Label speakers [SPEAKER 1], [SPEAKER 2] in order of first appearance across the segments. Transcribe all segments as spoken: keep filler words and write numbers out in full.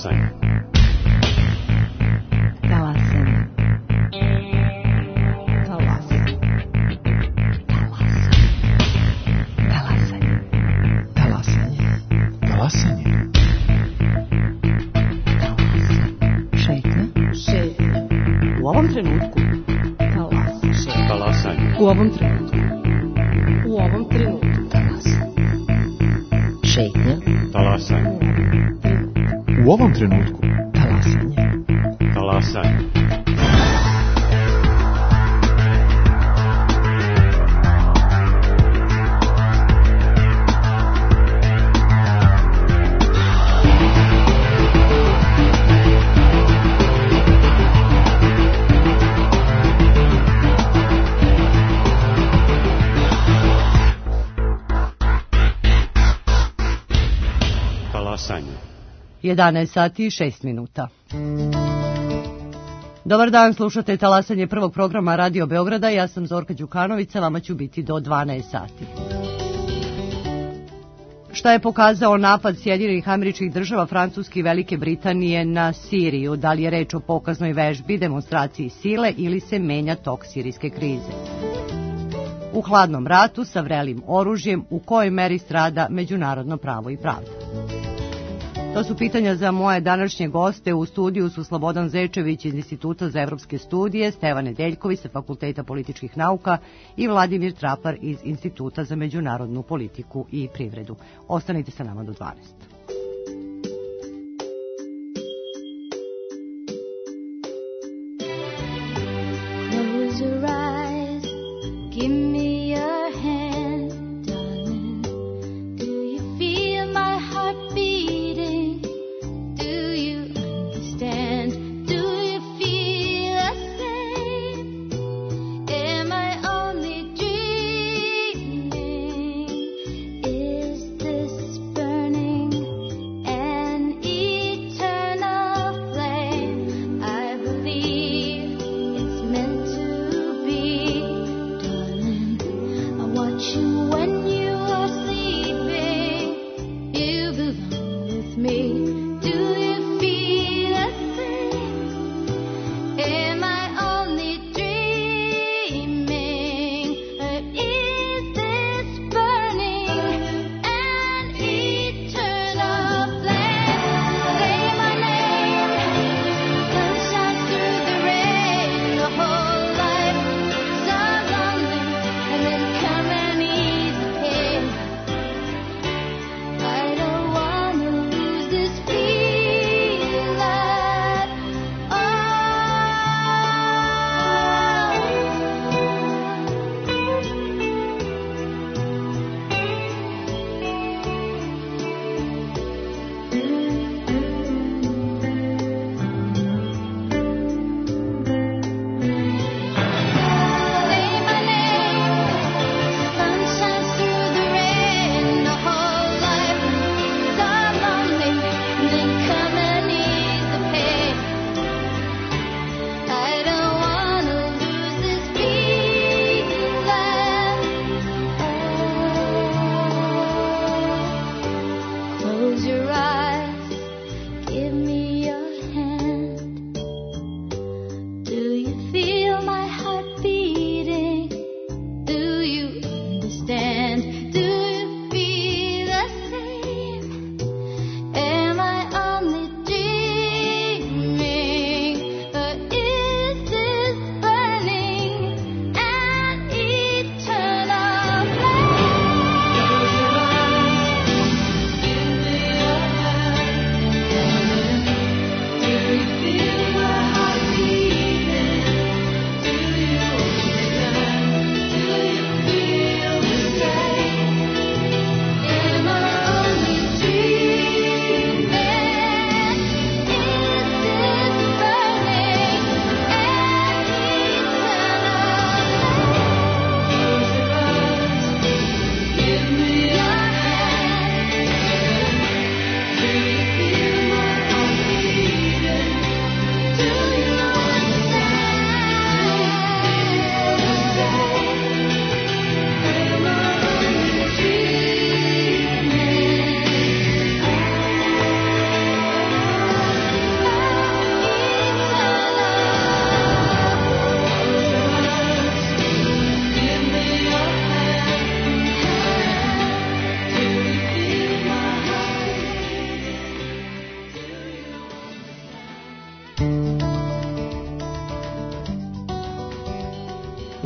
[SPEAKER 1] Talasanje.
[SPEAKER 2] Talasanje. Talasanje. Talasanje. Talasanje.
[SPEAKER 3] Talasanje.
[SPEAKER 2] Šetnja. Šetnja. U ovom trenutku. Talasanje.
[SPEAKER 1] Talasanje.
[SPEAKER 2] U ovom trenutku. U ovom trenutku. Talasanje. Šetnja.
[SPEAKER 1] Talasanje.
[SPEAKER 3] U ovom trenutku.
[SPEAKER 2] Talasanje.
[SPEAKER 1] Talasanje.
[SPEAKER 4] jedanaest sati i šest minuta. Dobar dan, slušate Talasanje prvog programa Radio Beograda. Ja sam Zorka Đukanović, sa vama ću biti do dvanaest sati. Šta je pokazao napad Sjedinjenih Američkih Država, Francuske i Velike Britanije na Siriju? Da li je reč o pokaznoj vežbi, demonstraciji sile ili se menja tok sirijske krize? U hladnom ratu sa vrelim oružjem, u kojoj meri strada međunarodno pravo i pravda? To su pitanja za moje današnje goste. U studiju su Slobodan Zečević iz Instituta za evropske studije, Stevan Nedeljković sa Fakulteta političkih nauka i Vladimir Trapar iz Instituta za međunarodnu politiku i privredu. Ostanite sa nama do dvanaest.
[SPEAKER 5] Hey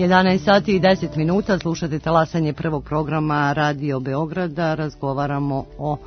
[SPEAKER 4] jedanaest sati i deset minuta, slušate talasanje prvog programa Radio Beograda. Razgovaramo o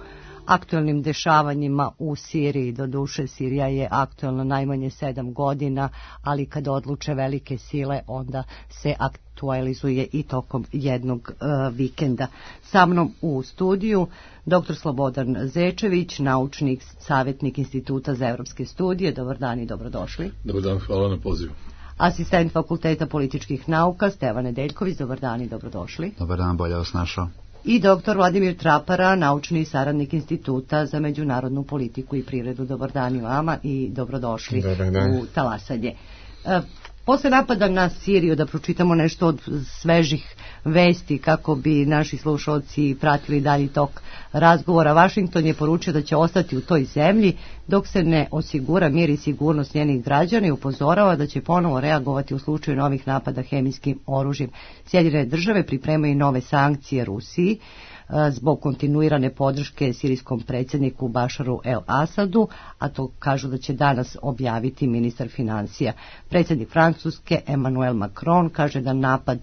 [SPEAKER 4] aktuelnim dešavanjima u Siriji. Doduše, Sirija je aktuelna najmanje sedam godina, ali kad odluče velike sile, onda se aktualizuje i tokom jednog uh, vikenda. Sa mnom u studiju doktor Slobodan Zečević, naučnik, savjetnik Instituta za evropske studije. Dobar dan i dobrodošli.
[SPEAKER 5] Dobar dan, hvala na pozivu.
[SPEAKER 4] Asistent Fakulteta političkih nauka Stevan Nedeljković. Dobar dan i dobrodošli.
[SPEAKER 3] Dobar dan, bolje vas našao.
[SPEAKER 4] I doktor Vladimir Trapara, naučni saradnik Instituta za međunarodnu politiku i privredu. Dobar dan i vama i dobrodošli u talasanje. E, posle napada na Siriju, da pročitamo nešto od svežih vesti kako bi naši slušalci pratili dalji tok razgovora. Washington je poručio da će ostati u toj zemlji dok se ne osigura mir i sigurnost njenih građana i upozorava da će ponovo reagovati u slučaju novih napada hemijskim oružjem. Sjedinjene države pripremaju nove sankcije Rusiji zbog kontinuirane podrške sirijskom predsjedniku Bašaru el Asadu, a to kažu da će danas objaviti ministar financija. Predsjednik Francuske Emmanuel Macron kaže da napad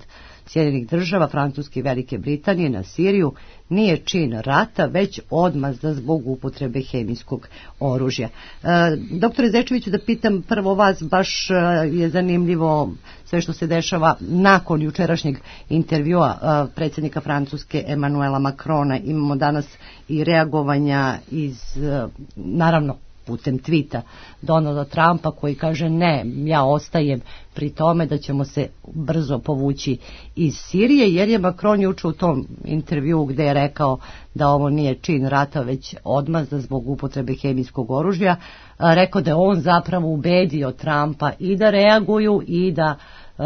[SPEAKER 4] Sjedinjenih država, Francuske i Velike Britanije na Siriju nije čin rata, već odmazda zbog upotrebe hemijskog oružja. E, doktore Zečeviću, da pitam prvo vas, baš je zanimljivo sve što se dešava nakon jučerašnjeg intervjua e, predsjednika Francuske Emmanuela Macrona. Imamo danas i reagovanja iz, e, naravno, putem tvita Donalda Trumpa koji kaže ne, ja ostajem pri tome da ćemo se brzo povući iz Sirije, jer je Macron juče u tom intervjuu gde je rekao da ovo nije čin rata već odmazda zbog upotrebe hemijskog oružja, rekao da je on zapravo ubedio Trumpa i da reaguju i da uh,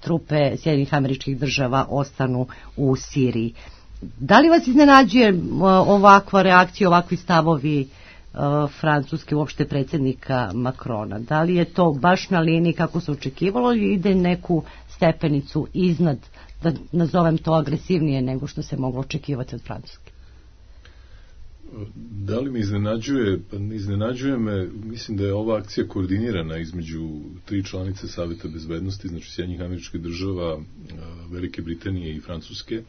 [SPEAKER 4] trupe Sjedinjenih Američkih Država ostanu u Siriji. Da li vas iznenađuje uh, ovakva reakcija, ovakvi stavovi Francuske, uopšte predsjednika Macrona? Da li je to baš na liniji kako se očekivalo ili ide neku stepenicu iznad, da nazovem to agresivnije nego što se moglo očekivati od Francuske?
[SPEAKER 5] Da li me iznenađuje? Pa iznenađuje me, mislim da je ova akcija koordinirana između tri članice Saveta bezbednosti, znači Sjedinjenih Američkih Država, Velike Britanije i Francuske.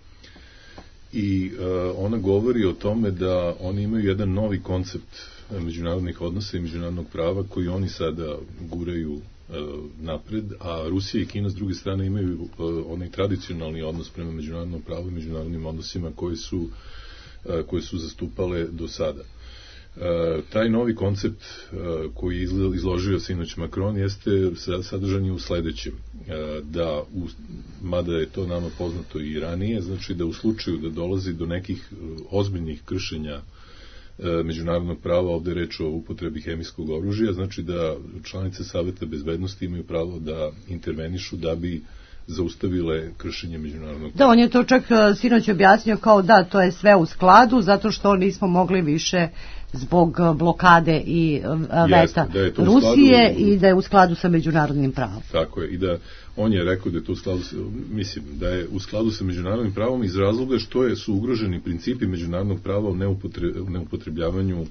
[SPEAKER 5] I uh, ona govori o tome da oni imaju jedan novi koncept međunarodnih odnosa i međunarodnog prava koji oni sada guraju uh, napred, a Rusija i Kina s druge strane imaju uh, onaj tradicionalni odnos prema međunarodnom pravu i međunarodnim odnosima koji su, uh, koje su zastupale do sada. Uh, taj novi koncept uh, koji je izložio sinoć Macron jeste sadržan je u sledećem, uh, da u, mada je to nama poznato i ranije, znači da u slučaju da dolazi do nekih uh, ozbiljnih kršenja uh, međunarodnog prava, ovde je reč o upotrebi hemijskog oružja, znači da članice Saveta bezbednosti imaju pravo da intervenišu da bi zaustavile kršenje međunarodnog prava.
[SPEAKER 4] Da, on je to čak sinoć objasnio kao da to je sve u skladu, zato što nismo mogli više zbog blokade i veta Jeste, Rusije skladu, i da je u skladu sa međunarodnim pravom.
[SPEAKER 5] Tako je, i da on je rekao da je to u skladu sa, mislim, da je u skladu sa međunarodnim pravom iz razloga što je, su ugroženi principi međunarodnog prava o neupotre, neupotrebljavanju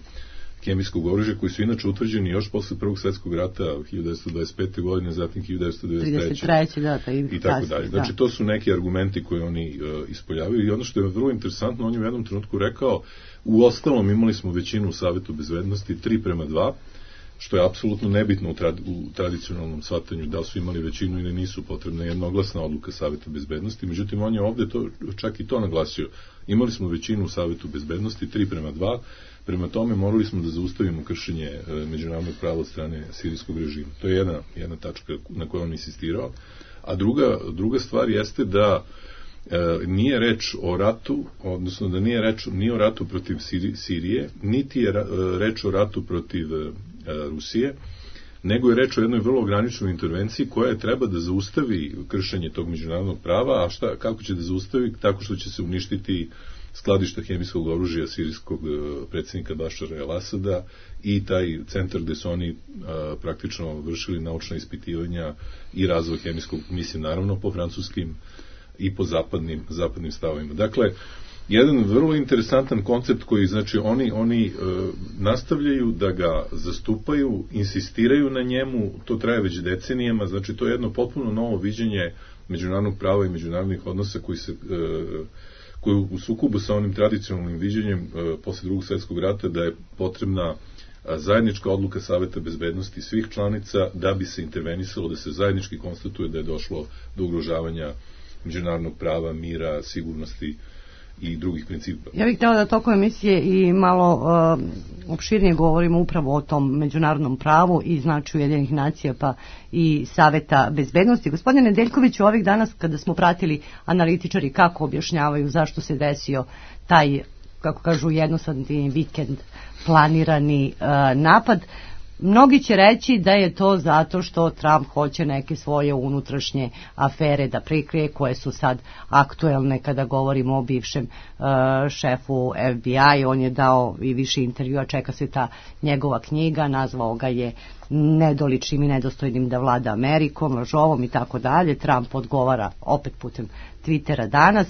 [SPEAKER 5] hemijskog oružja, koji su inače utvrđeni još posle Prvog svjetskog rata hiljadu devetsto dvadeset pete godine, zatim hiljadu devetsto devedeset treće
[SPEAKER 4] da, ta i,
[SPEAKER 5] i tako dalje. Znači, to su neki argumenti koje oni uh, ispoljavaju i ono što je vrlo interesantno, on je u jednom trenutku rekao, u ostalom imali smo većinu u Savetu bezbednosti, tri prema dva, što je apsolutno nebitno u, trad, u tradicionalnom shvatanju, da li su imali većinu ili nisu, potrebna jednoglasna odluka Saveta bezbednosti, međutim on je ovde to, čak i to naglasio. Imali smo većinu u Savetu bezbednosti, tri prema dva, prema tome morali smo da zaustavimo kršenje e, međunarodnog prava od strane sirijskog režima. To je jedna, jedna tačka na kojoj on insistirao. A druga, druga stvar jeste da e, nije reč o ratu, odnosno da nije reč ni o ratu protiv Sirije, niti je reč o ratu protiv e, Rusije, nego je reč o jednoj vrlo ograničenoj intervenciji koja je treba da zaustavi kršenje tog međunarodnog prava, a šta, kako će da zaustavi? Tako što će se uništiti skladišta hemijskog oružja sirijskog predsjednika Bašara el Asada i taj centar gde su oni a, praktično vršili naučna ispitivanja i razvoj hemijskog, mislim naravno po francuskim i po zapadnim, zapadnim stavovima. Dakle, jedan vrlo interesantan koncept koji, znači, oni, oni e, nastavljaju da ga zastupaju, insistiraju na njemu, to traje već decenijama, znači to je jedno potpuno novo viđenje međunarodnog prava i međunarodnih odnosa koji se koji u sukobu sa onim tradicionalnim viđenjem posle drugog svjetskog rata da je potrebna zajednička odluka Saveta bezbednosti svih članica da bi se intervenisalo, da se zajednički konstatuje da je došlo do ugrožavanja međunarodnog prava, mira, sigurnosti i drugih principa.
[SPEAKER 4] Ja bih htjela da tokom emisije i malo uh, opširnije govorimo upravo o tom međunarodnom pravu i značaju Ujedinjenih nacija pa i Saveta bezbednosti. Gospodine Nedeljkoviću, ovih danas kada smo pratili analitičari kako objašnjavaju zašto se desio taj, kako kažu, jednosadni vikend planirani uh, napad, mnogi će reći da je to zato što Trump hoće neke svoje unutrašnje afere da prikrije, koje su sad aktuelne kada govorimo o bivšem uh, šefu F B I. On je dao i više intervjua, čeka se ta njegova knjiga, nazvao ga je nedoličnim i nedostojnim da vlada Amerikom, lažovom i tako dalje. Trump odgovara opet putem Twittera danas.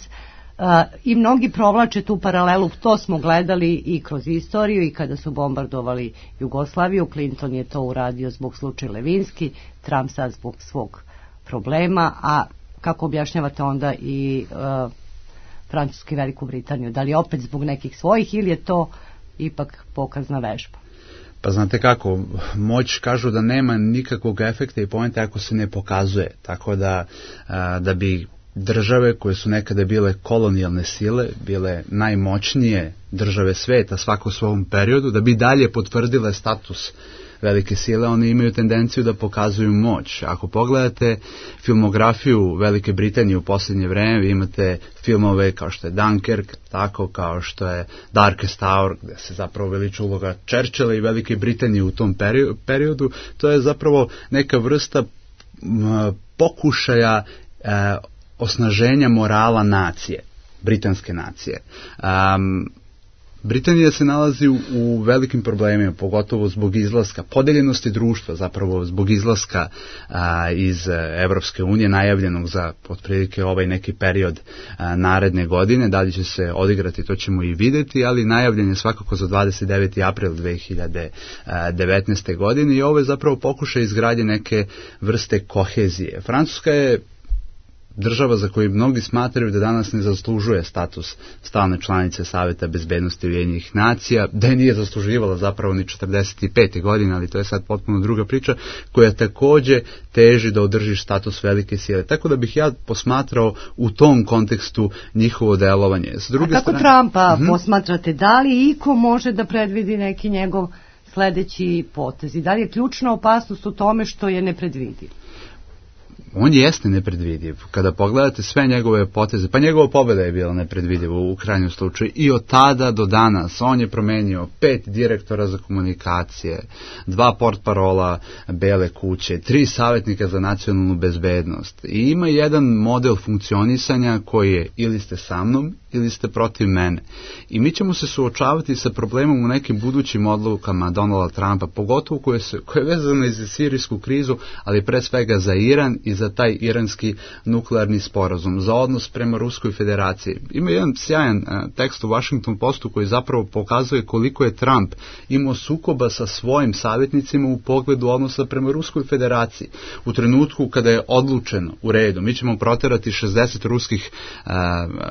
[SPEAKER 4] Uh, i mnogi provlače tu paralelu, to smo gledali i kroz istoriju i kada su bombardovali Jugoslaviju. Clinton je to uradio zbog slučaja Levinski, Trump sad zbog svog problema, a kako objašnjavate onda i uh, Francusku i Veliku Britaniju? Da li opet zbog nekih svojih ili je to ipak pokazna vežba?
[SPEAKER 6] Pa znate kako, moć kažu da nema nikakvog efekta i poenta ako se ne pokazuje, tako da, uh, da bi države koje su nekada bile kolonijalne sile, bile najmoćnije države sveta svako u svom periodu, da bi dalje potvrdile status velike sile, one imaju tendenciju da pokazuju moć. Ako pogledate filmografiju Velike Britanije u posljednje vreme, vi imate filmove kao što je Dunkirk, tako kao što je Darkest Hour, gde se zapravo veliča uloga Churchilla i Velike Britanije u tom periodu. To je zapravo neka vrsta m, pokušaja e, osnaženja morala nacije, britanske nacije. Um, Britanija se nalazi u, u velikim problemima, pogotovo zbog izlaska, podeljenosti društva, zapravo zbog izlaska a, iz Evropske unije, najavljenog za otprilike ovaj neki period a, naredne godine. Da li će se odigrati, to ćemo i vidjeti, ali najavljen je svakako za dvadeset deveti april dve hiljade devetnaeste. godine i ovo je zapravo pokušaj izgradnje neke vrste kohezije. Francuska je država za koju mnogi smatraju da danas ne zaslužuje status stalne članice Saveta bezbednosti Ujedinjenih nacija, da je nije zasluživala zapravo ni četrdeset pete. godine, ali to je sad potpuno druga priča, koja također teži da održi status velike sile. Tako da bih ja posmatrao u tom kontekstu njihovo delovanje. S druge
[SPEAKER 4] A kako
[SPEAKER 6] strane,
[SPEAKER 4] Trumpa
[SPEAKER 6] uh-huh.
[SPEAKER 4] posmatrate? Da li iko može da predvidi neki njegov sledeći potez? I da li je ključna opasnost u tome što je nepredvidiv?
[SPEAKER 6] On jeste nepredvidiv. Kada pogledate sve njegove poteze, pa njegova pobjeda je bila nepredvidiva u krajnjem slučaju i od tada do danas on je promenio pet direktora za komunikacije, dva portparola Bele kuće, tri savjetnika za nacionalnu bezbednost i ima jedan model funkcionisanja koji je ili ste sa mnom ili ste protiv mene. I mi ćemo se suočavati sa problemom u nekim budućim odlukama Donalda Trumpa, pogotovo koje, se, koje je vezano i za sirijsku krizu, ali pre svega za Iran i za taj iranski nuklearni sporazum, za odnos prema Ruskoj federaciji. Ima jedan sjajan uh, tekst u Washington Postu koji zapravo pokazuje koliko je Trump imao sukoba sa svojim savjetnicima u pogledu odnosa prema Ruskoj federaciji. U trenutku kada je odlučeno u redu, mi ćemo proterati šezdeset ruskih uh,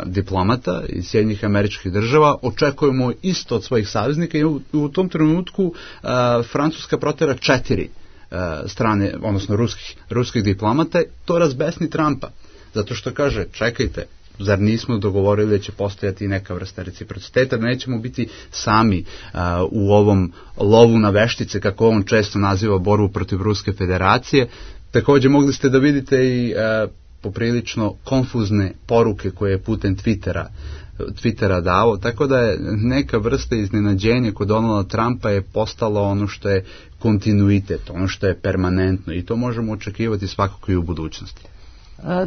[SPEAKER 6] diplomata iz Sjedinjenih Američkih Država, očekujemo isto od svojih saveznika i u, u tom trenutku uh, Francuska protera četiri uh, strane, odnosno ruskih, ruskih diplomata, to razbesni Trumpa. Zato što kaže, čekajte, zar nismo dogovorili da će postojati neka vrsta reciprociteta, da nećemo biti sami uh, u ovom lovu na veštice, kako on često naziva borbu protiv Ruske federacije. Također mogli ste da vidite i uh, poprilično konfuzne poruke koje je putem Twittera, Twittera dao, tako da je neka vrsta iznenađenja kod Donalda Trumpa je postalo ono što je kontinuitet, ono što je permanentno i to možemo očekivati svakako i u budućnosti.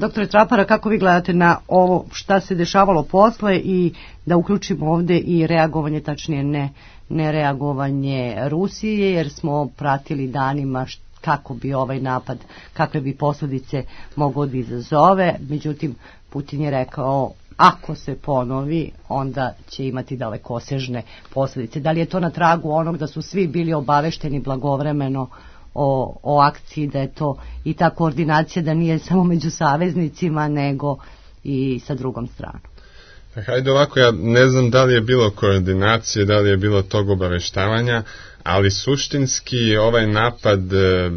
[SPEAKER 4] Doktore Trapara, kako vi gledate na ovo šta se dešavalo posle i da uključimo ovdje i reagovanje, tačnije ne, ne reagovanje Rusije, jer smo pratili danima šta kako bi ovaj napad, kakve bi posljedice mogao da izazove. Međutim, Putin je rekao, ako se ponovi, onda će imati dalekosežne posljedice. Da li je to na tragu onog da su svi bili obavešteni blagovremeno o, o akciji, da je to i ta koordinacija da nije samo među saveznicima nego i sa drugom stranom.
[SPEAKER 7] Pa hajde ovako, ja ne znam da li je bilo koordinacije, da li je bilo tog obaveštavanja, ali suštinski ovaj napad e,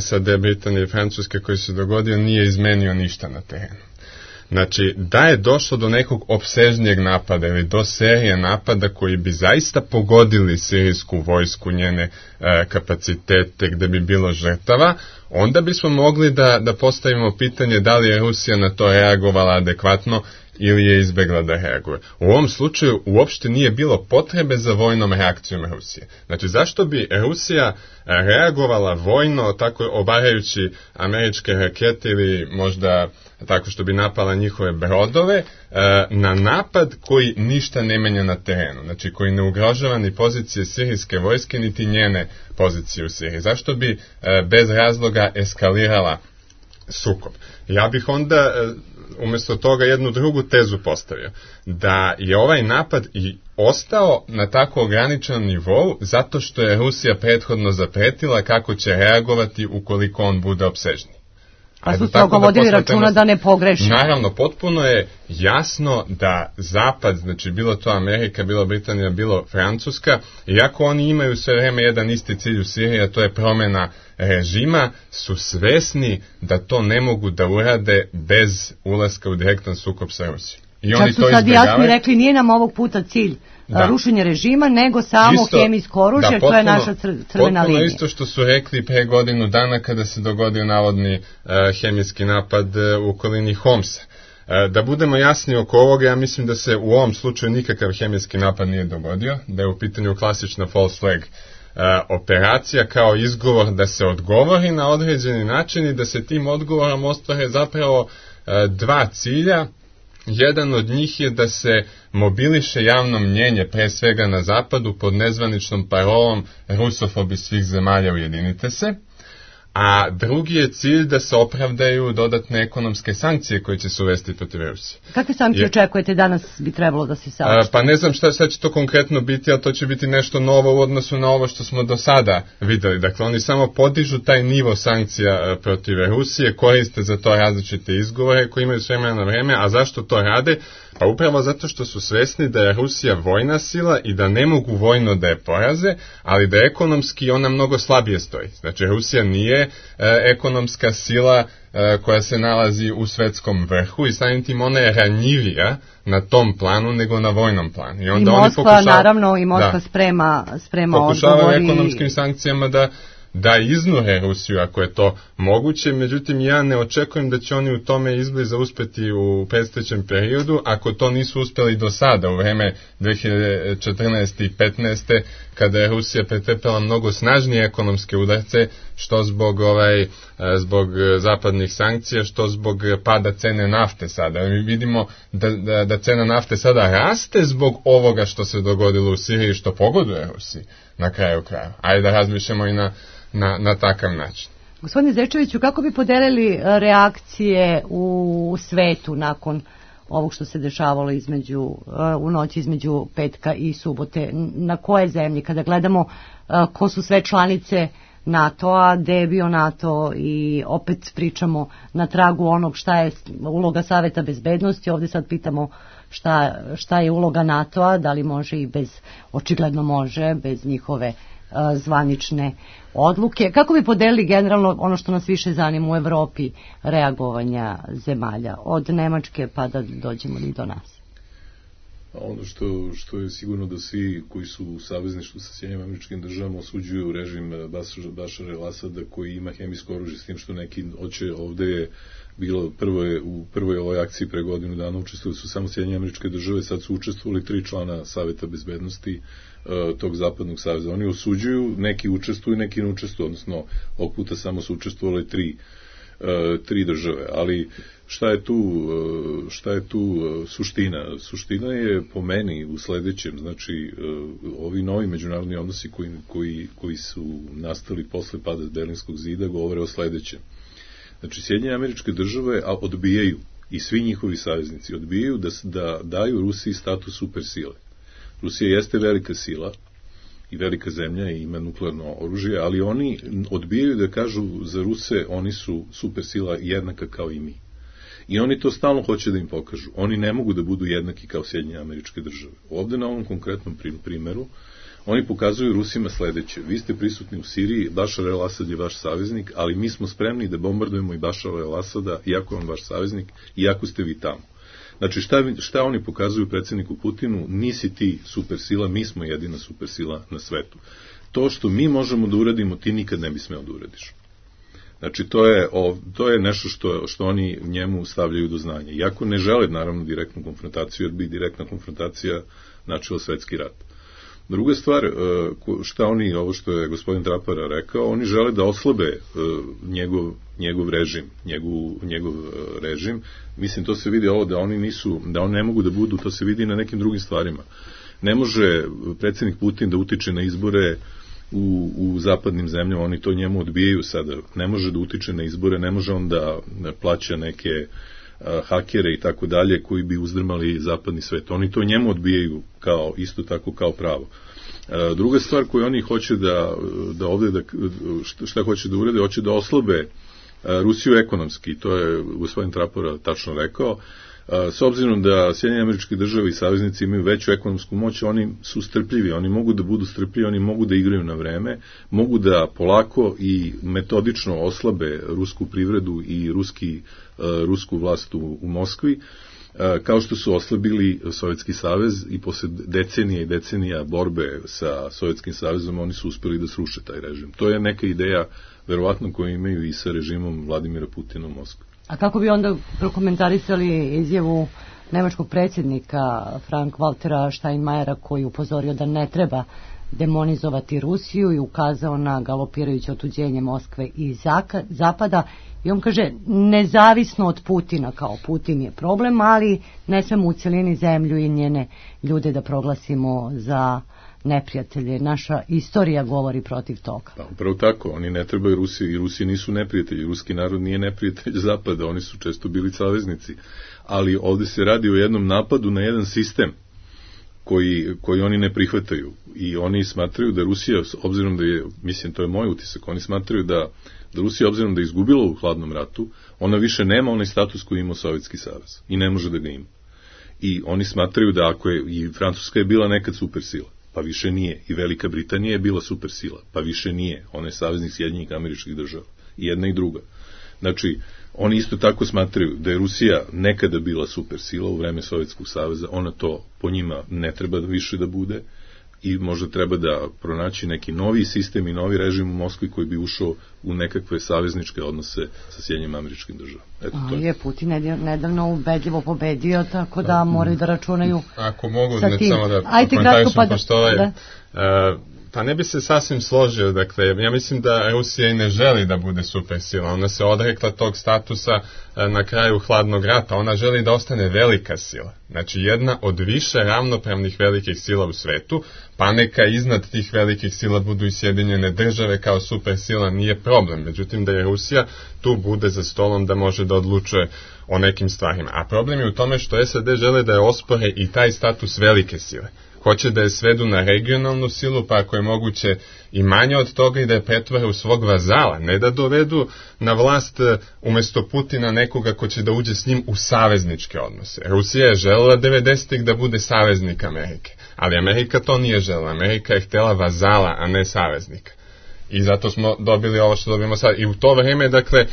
[SPEAKER 7] S A D, Britanije i Francuske koji se dogodio nije izmenio ništa na terenu. Znači, da je došlo do nekog opsežnijeg napada ili do serije napada koji bi zaista pogodili sirijsku vojsku, njene e, kapacitete, gde bi bilo žrtava, onda bismo mogli da, da postavimo pitanje da li je Rusija na to reagovala adekvatno ili je izbegla da reaguje. U ovom slučaju uopšte nije bilo potrebe za vojnom reakcijom Rusije. Znači, zašto bi Rusija reagovala vojno, tako obarajući američke rakete ili možda tako što bi napala njihove brodove, na napad koji ništa ne menja na terenu, znači koji ne ugrožava ni pozicije sirijske vojske, niti njene pozicije u Siriji. Zašto bi bez razloga eskalirala sukob? Ja bih onda umjesto toga jednu drugu tezu postavio, da je ovaj napad i ostao na tako ograničenom nivou zato što je Rusija prethodno zapretila kako će reagovati ukoliko on bude opsežniji.
[SPEAKER 4] Pa su strogo vodili računa da ne pogreši.
[SPEAKER 7] Naravno, potpuno je jasno da Zapad, znači bilo to Amerika, bilo Britanija, bilo Francuska, iako oni imaju sve vreme jedan isti cilj u Siriji, a to je promjena režima, su svesni da to ne mogu da urade bez ulaska u direktan sukob sa Rusijom. I
[SPEAKER 4] Čak
[SPEAKER 7] oni
[SPEAKER 4] su
[SPEAKER 7] to
[SPEAKER 4] sad
[SPEAKER 7] izbjegavaju.
[SPEAKER 4] jasni rekli, nije nam ovog puta cilj da. rušenje režima, nego samo
[SPEAKER 7] Isto,
[SPEAKER 4] hemijsko oružje,
[SPEAKER 7] da,
[SPEAKER 4] to je
[SPEAKER 7] potpuno,
[SPEAKER 4] naša cr crvena
[SPEAKER 7] linija.
[SPEAKER 4] linija.
[SPEAKER 7] Isto što su rekli pre godinu dana kada se dogodio navodni uh, hemijski napad uh, u okolini Homsa. Uh, da budemo jasni oko ovoga, ja mislim da se u ovom slučaju nikakav hemijski napad nije dogodio, da je u pitanju klasična false flag uh, operacija kao izgovor da se odgovori na određeni način i da se tim odgovorom ostvare zapravo uh, dva cilja. Jedan od njih je da se mobiliše javno mnjenje, pre svega na zapadu, pod nezvaničnom parolom rusofobi svih zemalja ujedinite se, a drugi je cilj da se opravdaju dodatne ekonomske sankcije koje će se uvesti protiv Rusije.
[SPEAKER 4] Kakve sankcije je, očekujete danas bi trebalo da se saopšte?
[SPEAKER 7] Pa ne znam šta, šta će to konkretno biti, ali to će biti nešto novo u odnosu na ovo što smo do sada videli. Dakle, oni samo podižu taj nivo sankcija protiv Rusije, koriste za to različite izgovore koji imaju s vremena na vreme, a zašto to rade? Pa upravo zato što su svesni da je Rusija vojna sila i da ne mogu vojno da je poraze, ali da ekonomski ona mnogo slabije stoji. Znači, Rusija nije e, ekonomska sila e, koja se nalazi u svetskom vrhu i samim tim ona je ranjivija na tom planu nego na vojnom planu. I, onda
[SPEAKER 4] I Moskva,
[SPEAKER 7] oni pokušava,
[SPEAKER 4] naravno, i Moskva
[SPEAKER 7] da,
[SPEAKER 4] sprema, sprema
[SPEAKER 7] pokušavaju
[SPEAKER 4] odgovori.
[SPEAKER 7] ekonomskim sankcijama da da iznure Rusiju ako je to moguće, međutim ja ne očekujem da će oni u tome izbliza uspeti u predstojećem periodu, ako to nisu uspjeli do sada, u vreme dve hiljade četrnaeste i petnaeste kada je Rusija pretrpela mnogo snažnije ekonomske udarce, što zbog ovaj zbog zapadnih sankcija, što zbog pada cene nafte sada. Mi vidimo da, da, da cena nafte sada raste zbog ovoga što se dogodilo u Siriji, što pogoduje Rusiji na kraju kraja. Ajde da razmišljamo i na Na, na takav način.
[SPEAKER 4] Gospodine Zečeviću, kako bi podelili reakcije u svetu nakon ovog što se dešavalo između, u noći između petka i subote? Na koje zemlje? Kada gledamo ko su sve članice NATO-a, gde je bio NATO i opet pričamo na tragu onog šta je uloga Saveta bezbednosti, ovdje sad pitamo šta, šta je uloga NATO-a, da li može i bez, očigledno može, bez njihove zvanične odluke. Kako bi podelili generalno ono što nas više zanima u Evropi, reagovanja zemalja, od Nemačke pa da dođemo i do nas?
[SPEAKER 5] Ono što, što je sigurno da svi koji su u savezništvu sa Sjedinjenim Američkim Državama osuđuju režim Bašara el-Asada koji ima hemijsko oružje, s tim što neki hoće, ovde je bilo prvo je, u prvoj ovoj akciji pre godinu dana učestvovali su samo Sjedinjene Američke Države, sad su učestvovali tri člana Saveta bezbednosti uh, tog zapadnog saveza. Oni osuđuju, neki učestvuju, neki ne učestvuju, odnosno ovog puta samo su učestvovali tri, uh, tri države, ali šta je tu, uh, šta je tu uh, suština? Suština je po meni u sledećem, znači uh, ovi novi međunarodni odnosi koji, koji, koji su nastali posle pada Berlinskog zida govore o sledećem. Znači, Sjedinjene Američke Države odbijaju, i svi njihovi saveznici odbijaju da, da daju Rusiji status supersile. Rusija jeste velika sila i velika zemlja i ima nuklearno oružje, ali oni odbijaju da kažu za Ruse oni su supersila jednaka kao i mi. I oni to stalno hoće da im pokažu. Oni ne mogu da budu jednaki kao Sjedinjene Američke Države. Ovde na ovom konkretnom primeru oni pokazuju Rusima sledeće. Vi ste prisutni u Siriji, Bašar el-Asad je vaš saveznik, ali mi smo spremni da bombardujemo i Bašara el-Asada, iako je on vaš saveznik, iako ste vi tamo. Znači, šta, šta oni pokazuju predsjedniku Putinu? Nisi ti supersila, mi smo jedina supersila na svetu. To što mi možemo da uradimo, ti nikad ne bi smeo da uradiš. Znači, to je, o, to je nešto što, što oni njemu stavljaju do znanja. Iako ne žele, naravno, direktnu konfrontaciju, jer bi direktna konfrontacija načela svetski rat. Druga stvar, šta oni, ovo što je gospodin Trapara rekao, oni žele da oslabe njegov, njegov režim, njegov, njegov režim. Mislim, to se vidi ovo da oni nisu, da oni ne mogu da budu, to se vidi na nekim drugim stvarima. Ne može predsjednik Putin da utiče na izbore u, u zapadnim zemljama, oni to njemu odbijaju sada. Ne može da utiče na izbore, ne može on da plaća neke hakere i tako dalje koji bi uzdrmali zapadni svet. Oni to njemu odbijaju kao, isto tako kao pravo. Druga stvar koju oni hoće da, da ovde, da, šta hoće da urede, hoće da oslabe Rusiju ekonomski, to je gospodin Trapora tačno rekao. S obzirom da Sjedinjene Američke Države i saveznici imaju veću ekonomsku moć, oni su strpljivi, oni mogu da budu strpljivi, oni mogu da igraju na vreme, mogu da polako i metodično oslabe rusku privredu i ruski, rusku vlast u, u Moskvi, kao što su oslabili Sovjetski savez i posle decenija i decenija borbe sa Sovjetskim savezom oni su uspeli da sruše taj režim. To je neka ideja, verovatno, koju imaju i sa režimom Vladimira Putina u Moskvi.
[SPEAKER 4] A kako bi onda prokomentarisali izjavu nemačkog predsjednika Frank-Waltera Steinmeiera koji upozorio da ne treba demonizovati Rusiju i ukazao na galopirajuće otuđenje Moskve i Zapada i on kaže nezavisno od Putina, kao Putin je problem, ali ne smemo u celini zemlju i njene ljude da proglasimo za neprijatelje. Naša istorija govori protiv toga.
[SPEAKER 5] Pa, upravo tako, oni ne trebaju Rusiji i Rusiji nisu neprijatelji, ruski narod nije neprijatelj Zapada, oni su često bili saveznici, ali ovde se radi o jednom napadu na jedan sistem koji, koji oni ne prihvataju i oni smatraju da Rusija, obzirom da je, mislim to je moj utisak, oni smatraju da, da Rusija obzirom da je izgubila u hladnom ratu, ona više nema onaj status koji ima Sovjetski savez i ne može da ga ima. I oni smatraju da ako je, i Francuska je bila nekad supersila, pa više nije. I Velika Britanija je bila supersila, pa više nije. Ona je saveznik Sjedinjenih Američkih Država. I jedna i druga. Znači, oni isto tako smatraju da je Rusija nekada bila supersila u vreme Sovjetskog saveza, ona to po njima ne treba više da bude i možda treba da pronaći neki novi sistem i novi režim u Moskvi koji bi ušao u nekakve savezničke odnose sa Sjedinjenim Američkim Državama. Eto, to je.
[SPEAKER 4] je Putin nedavno ubedljivo pobedio, tako da moraju da računaju
[SPEAKER 7] Ako mogu,
[SPEAKER 4] sa tim.
[SPEAKER 7] Samo da
[SPEAKER 4] komentarišem,
[SPEAKER 7] pa pošto ovaj... Da. Uh, Pa ne bi se sasvim složio, dakle, ja mislim da Rusija i ne želi da bude supersila, ona se odrekla tog statusa na kraju hladnog rata, ona želi da ostane velika sila, znači jedna od više ravnopravnih velikih sila u svetu, pa neka iznad tih velikih sila budu i Sjedinjene Države kao supersila, nije problem, međutim da je Rusija tu bude za stolom da može da odlučuje o nekim stvarima, a problem je u tome što S A D žele da je ospore i taj status velike sile. Hoće da je svedu na regionalnu silu, pa ako je moguće i manje od toga i da je pretvore u svog vazala, ne da dovedu na vlast umjesto Putina nekoga ko će da uđe s njim u savezničke odnose. Rusija je želela devedesetih da bude saveznik Amerike, ali Amerika to nije želela. Amerika je htjela vazala, a ne saveznika. I zato smo dobili ovo što dobijemo sad. I u to vreme, dakle,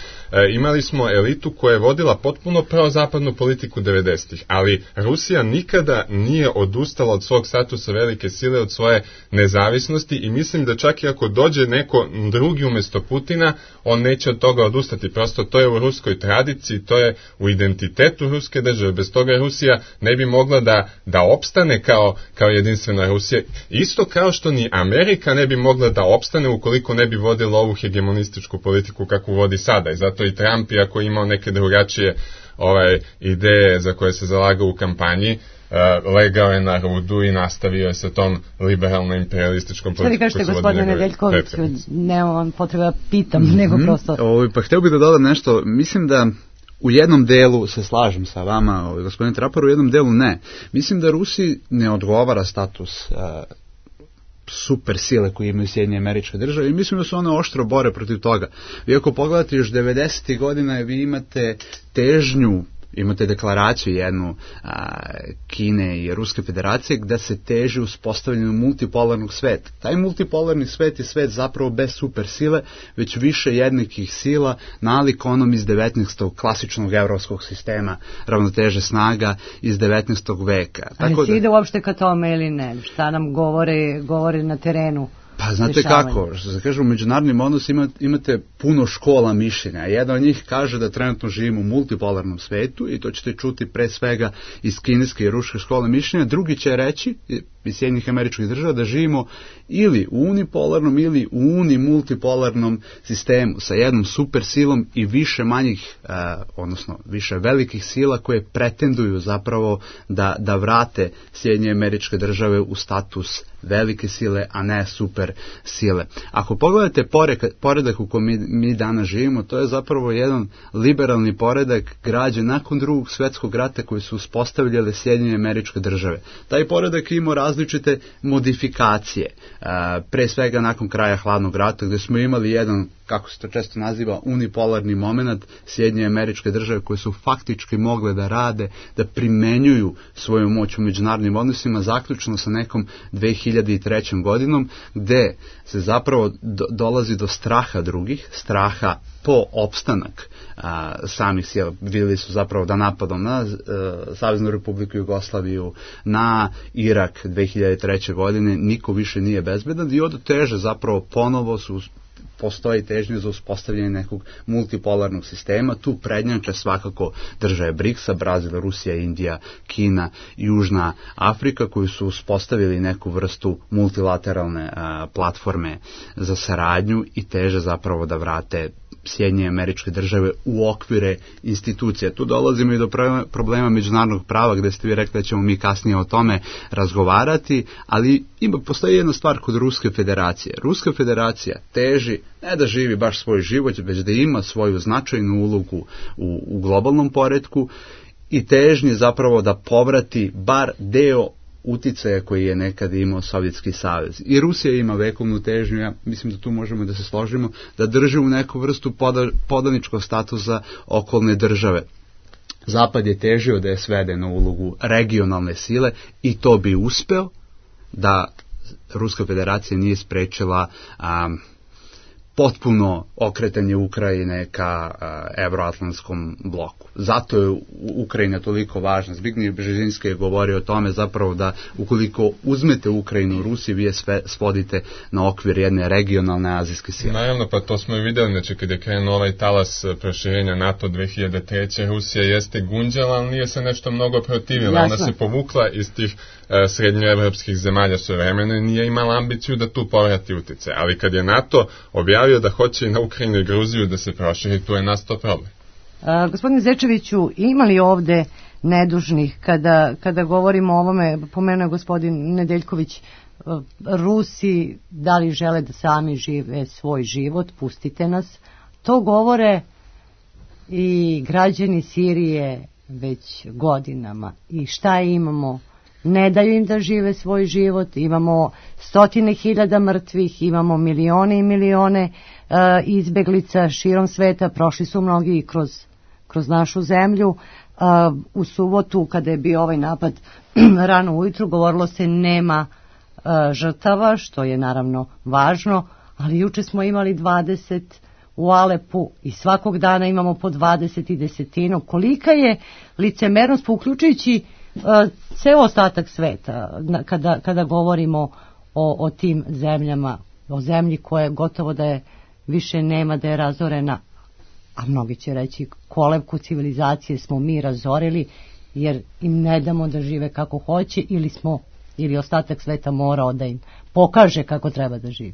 [SPEAKER 7] imali smo elitu koja je vodila potpuno prozapadnu politiku devedesetih, ali Rusija nikada nije odustala od svog statusa velike sile, od svoje nezavisnosti i mislim da čak i ako dođe neko drugi umjesto Putina, on neće od toga odustati. Prosto to je u ruskoj tradiciji, to je u identitetu ruske države. Bez toga Rusija ne bi mogla da, da opstane kao, kao jedinstvena Rusija. Isto kao što ni Amerika ne bi mogla da opstane ukoliko ne bi vodila ovu hegemonističku politiku kakvu vodi sada. I zato i Trump, iako je imao neke drugačije ovaj, ideje za koje se zalagao u kampanji, uh, legao je na rudu i nastavio je sa tom liberalno-imperialističkom politikom.
[SPEAKER 4] Što vi kažete, gospodine Nedeljkoviću, nemam potreba pitam, mm-hmm. nego prosto...
[SPEAKER 6] O, pa htio bih da dodam nešto, mislim da u jednom delu se slažem sa vama, gospodine Trapar, u jednom delu ne. Mislim da Rusiji ne odgovara status uh, super sile koje imaju Sjedinjene Američke Države i mislim da su one oštro bore protiv toga. Vi ako pogledate još devedesetih godina vi imate težnju, imate deklaraciju jednu a, Kine i Ruske federacije gde se teži uspostavljanju multipolarnog sveta. Taj multipolarni svet je svet zapravo bez super sile, već više jednakih sila, nalik onom iz devetnaestog klasičnog evropskog sistema ravnoteže snaga iz devetnaestog veka.
[SPEAKER 4] Ali
[SPEAKER 6] Tako
[SPEAKER 4] si
[SPEAKER 6] da,
[SPEAKER 4] ide uopšte ka tome ili ne? Šta nam govore, govore na terenu?
[SPEAKER 6] Pa znate kako, što se kaže u međunarodnim odnosima imate puno škola mišljenja. Jedna od njih kaže da trenutno živimo u multipolarnom svetu i to ćete čuti pre svega iz kineske i ruske škole mišljenja. Drugi će reći iz Sjedinjenih Američkih Država da živimo ili u unipolarnom ili u unimultipolarnom sistemu sa jednom super silom i više manjih, eh, odnosno više velikih sila koje pretenduju zapravo da, da vrate Sjedinjene Američke Države u status velike sile, a ne super sile. Ako pogledate poredak, poredak u kojem mi, mi danas živimo, to je zapravo jedan liberalni poredak građen nakon drugog svjetskog rata koji su uspostavljale Sjedinjene Američke Države. Taj poredak ima različite modifikacije, pre svega nakon kraja hladnog rata gdje smo imali jedan, kako se to često naziva, unipolarni moment, Sjedinjene Američke Države koje su faktički mogle da rade, da primenjuju svoju moć u međunarodnim odnosima, zaključno sa nekom dve hiljade trećom godinom, gde se zapravo do, dolazi do straha drugih, straha po opstanak a, samih sila. Vidjeli su zapravo da napadom na a, Saveznu Republiku Jugoslaviju, na Irak dve hiljade treće godine niko više nije bezbedan i od teže zapravo ponovo su postoji težnja za uspostavljanje nekog multipolarnog sistema. Tu prednjače svakako države briksa, Brazil, Rusija, Indija, Kina, Južna Afrika, koji su uspostavili neku vrstu multilateralne a, platforme za saradnju i teže zapravo da vrate Sjedinjene Američke Države u okvire institucija. Tu dolazimo i do problema međunarodnog prava, gde ste vi rekli da ćemo mi kasnije o tome razgovarati, ali ima, postoji jedna stvar kod Ruske federacije. Ruska federacija teži ne da živi baš svoj život, već da ima svoju značajnu ulogu u, u globalnom poretku i težnje zapravo da povrati bar deo uticaja koji je nekad imao Sovjetski savez. I Rusija ima vekovnu težnju, ja mislim da tu možemo da se složimo, da drži u neku vrstu poda, podaničkog statusa okolne države. Zapad je težio da je svede na ulogu regionalne sile i to bi uspeo da Ruska federacija nije sprečila um, potpuno okretanje Ukrajine ka uh, evroatlantskom bloku. Zato je Ukrajina toliko važna. Zbigniew Brzezinski je govorio o tome zapravo da ukoliko uzmete Ukrajinu u Rusiji, vi je sve svodite na okvir jedne regionalne azijske sile.
[SPEAKER 7] Naravno, pa to smo i vidjeli, znači kada je krenuo ovaj talas proširenja NATO dve hiljade treće. Rusija jeste gunđala, ali nije se nešto mnogo protivila. Ona se povukla iz tih uh, srednjoevropskih zemalja svojevremeno i nije imala ambiciju da tu povrati utjecaj. Ali kad je NATO objavio da hoće i na Ukrajinu i Gruziju da se proširi, tu je nastao problem.
[SPEAKER 4] A, gospodine Zečeviću, ima li ovde nedužnih kada, kada govorimo o ovome, pomenuo je gospodin Nedeljković, Rusi da li žele da sami žive svoj život, pustite nas. To govore i građani Sirije već godinama. I šta imamo? Ne daju im da žive svoj život, imamo stotine hiljada mrtvih, imamo milione i milione uh, izbeglica širom sveta, prošli su mnogi i kroz, kroz našu zemlju. Uh, u subotu kada je bio ovaj napad rano ujutru govorilo se nema uh, žrtava, što je naravno važno, ali juče smo imali dvadeset u Alepu i svakog dana imamo po dvadeset i desetinu. Kolika je licemernost, uključujući ceo ostatak sveta, kada, kada govorimo o, o tim zemljama, o zemlji koja gotovo da je više nema, da je razorena, a mnogi će reći kolevku civilizacije smo mi razorili jer im ne damo da žive kako hoće ili smo, ili ostatak sveta morao da im pokaže kako treba da živi.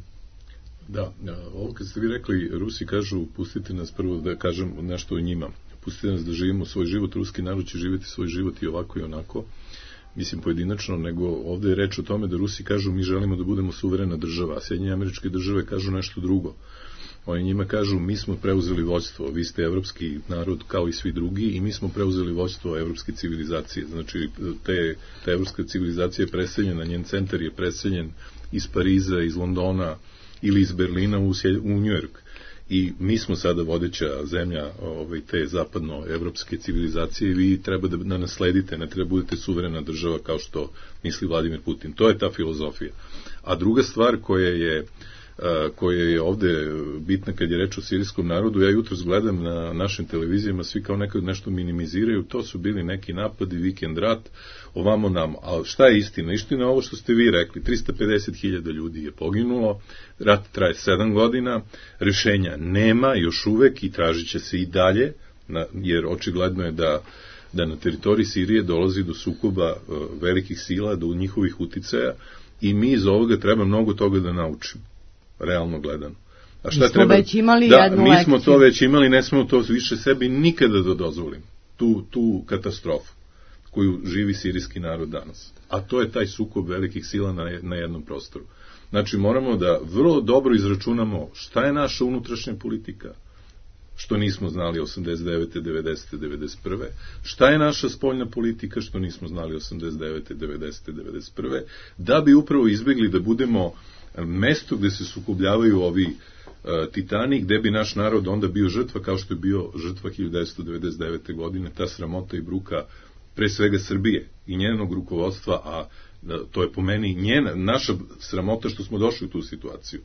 [SPEAKER 5] Da, ovo kad ste vi rekli, Rusi kažu pustite nas prvo da kažem nešto o njima. Pustite nas da živimo svoj život, ruski narod će živjeti svoj život i ovako i onako, mislim pojedinačno, nego ovdje je reč o tome da Rusi kažu mi želimo da budemo suverena država, a Sjedinjene Američke Države kažu nešto drugo. Oni njima kažu, mi smo preuzeli vođstvo, vi ste evropski narod kao i svi drugi i mi smo preuzeli vođstvo evropske civilizacije. Znači, te, ta evropska civilizacija je preseljena, njen centar je preseljen iz Pariza, iz Londona ili iz Berlina u, u Njujork. I mi smo sada vodeća zemlja ovaj, te zapadno-evropske civilizacije i vi treba da, da nasledite, ne treba budete suverena država kao što misli Vladimir Putin. To je ta filozofija. A druga stvar koja je koja je ovde bitna kad je reč o sirijskom narodu, ja jutros gledam na našim televizijama, svi kao nekad nešto minimiziraju, to su bili neki napadi, vikend rat, ovamo nam. A šta je istina? Istina je ovo što ste vi rekli, trista pedeset hiljada ljudi je poginulo, rat traje sedam godina, rešenja nema još uvek i tražit će se i dalje, jer očigledno je da da na teritoriji Sirije dolazi do sukoba velikih sila, do njihovih uticaja i mi iz ovoga treba mnogo toga da naučimo. Realno gledano. A šta
[SPEAKER 4] mi smo
[SPEAKER 5] treba?
[SPEAKER 4] Već imali
[SPEAKER 5] da,
[SPEAKER 4] jednu
[SPEAKER 5] mi
[SPEAKER 4] lekciju.
[SPEAKER 5] smo to već imali, ne smemo to više sebi nikada da dozvolimo. Tu, tu katastrofu koju živi sirijski narod danas. A to je taj sukob velikih sila na, na jednom prostoru. Znači, moramo da vrlo dobro izračunamo šta je naša unutrašnja politika, što nismo znali osamdeset devete, devedesete, devedeset prve. Šta je naša spoljna politika, što nismo znali osamdeset devete, devedesete, devedeset prve. Da bi upravo izbegli da budemo mesto gde se sukobljavaju ovi uh, titani, gde bi naš narod onda bio žrtva, kao što je bio žrtva hiljadu devetsto devedeset devete. godine, ta sramota i bruka pre svega Srbije i njenog rukovodstva, a da, to je po meni njena, naša sramota što smo došli u tu situaciju.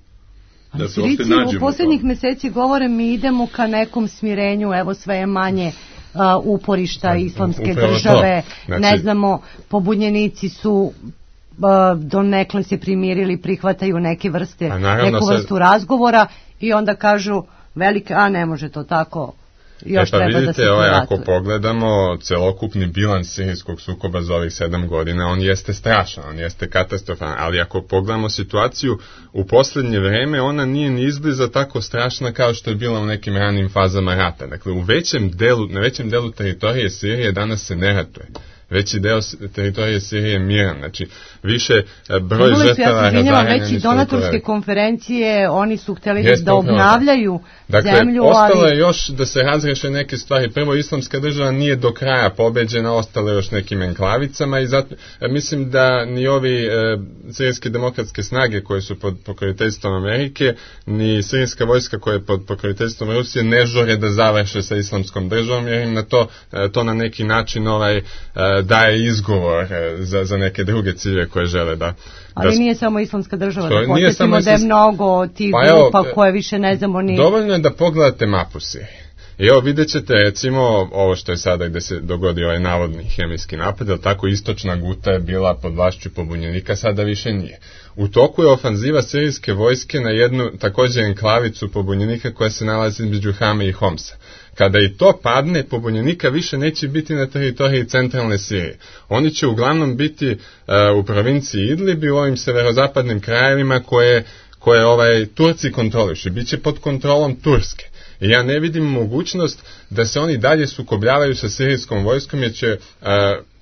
[SPEAKER 4] Da se uopšte nađemo. U poslednjih meseci govore mi idemo ka nekom smirenju, evo sve je manje uh, uporišta islamske
[SPEAKER 7] Upravo
[SPEAKER 4] države,
[SPEAKER 7] znači,
[SPEAKER 4] ne znamo, pobunjenici su donekle se primirili, prihvataju neke vrste, neku vrstu se... razgovora i onda kažu velike, a ne može to tako, još
[SPEAKER 7] e pa
[SPEAKER 4] treba
[SPEAKER 7] vidite,
[SPEAKER 4] da se
[SPEAKER 7] ovaj,
[SPEAKER 4] privatuje.
[SPEAKER 7] ako pogledamo celokupni bilans sirijskog sukoba za ovih sedam godina, on jeste strašan, on jeste katastrofan, ali ako pogledamo situaciju u poslednje vreme, ona nije ni izbliza tako strašna kao što je bila u nekim ranim fazama rata. Dakle, u većem delu, na većem delu teritorije Sirije danas se ne ratuje. Veći deo teritorije Sirije je miran, znači više broj žrtava razaranja.
[SPEAKER 4] Već i donatorske konferencije, oni su hteli Jeste da obnavljaju
[SPEAKER 7] dakle,
[SPEAKER 4] zemlju.
[SPEAKER 7] Dakle, ostalo
[SPEAKER 4] ali...
[SPEAKER 7] je još da se razreše neke stvari. Prvo, islamska država nije do kraja pobeđena, ostalo je još nekim enklavicama i zato mislim da ni ovi e, sirijske demokratske snage koje su pod pokroviteljstvom Amerike, ni sirijska vojska koja je pod pokroviteljstvom Rusije ne žore da završe sa islamskom državom, jer im na to, e, to na neki način ovaj e, daje izgovor za, za neke druge ciljeve koje žele da...
[SPEAKER 4] Ali
[SPEAKER 7] da...
[SPEAKER 4] nije samo islamska država,
[SPEAKER 7] to
[SPEAKER 4] da posjetimo da je mnogo tih
[SPEAKER 7] pa
[SPEAKER 4] grupa
[SPEAKER 7] evo,
[SPEAKER 4] koje više ne znamo ni...
[SPEAKER 7] Dovoljno je da pogledate mapu Sirije. I evo vidjet ćete recimo ovo što je sada gde se dogodio ovaj navodni hemijski napad, ali tako istočna Guta je bila pod vlašću pobunjenika, sada više nije. U toku je ofanziva sirijske vojske na jednu također enklavicu pobunjenika koja se nalazi između Hame i Homsa. Kada i to padne, pobunjenika više neće biti na teritoriji centralne Sirije. Oni će uglavnom biti uh, u provinciji Idlib i u ovim severozapadnim krajevima koje, koje ovaj, Turci kontrolišu. Biće pod kontrolom Turske. I ja ne vidim mogućnost da se oni dalje sukobljavaju sa sirijskom vojskom, jer će... Uh,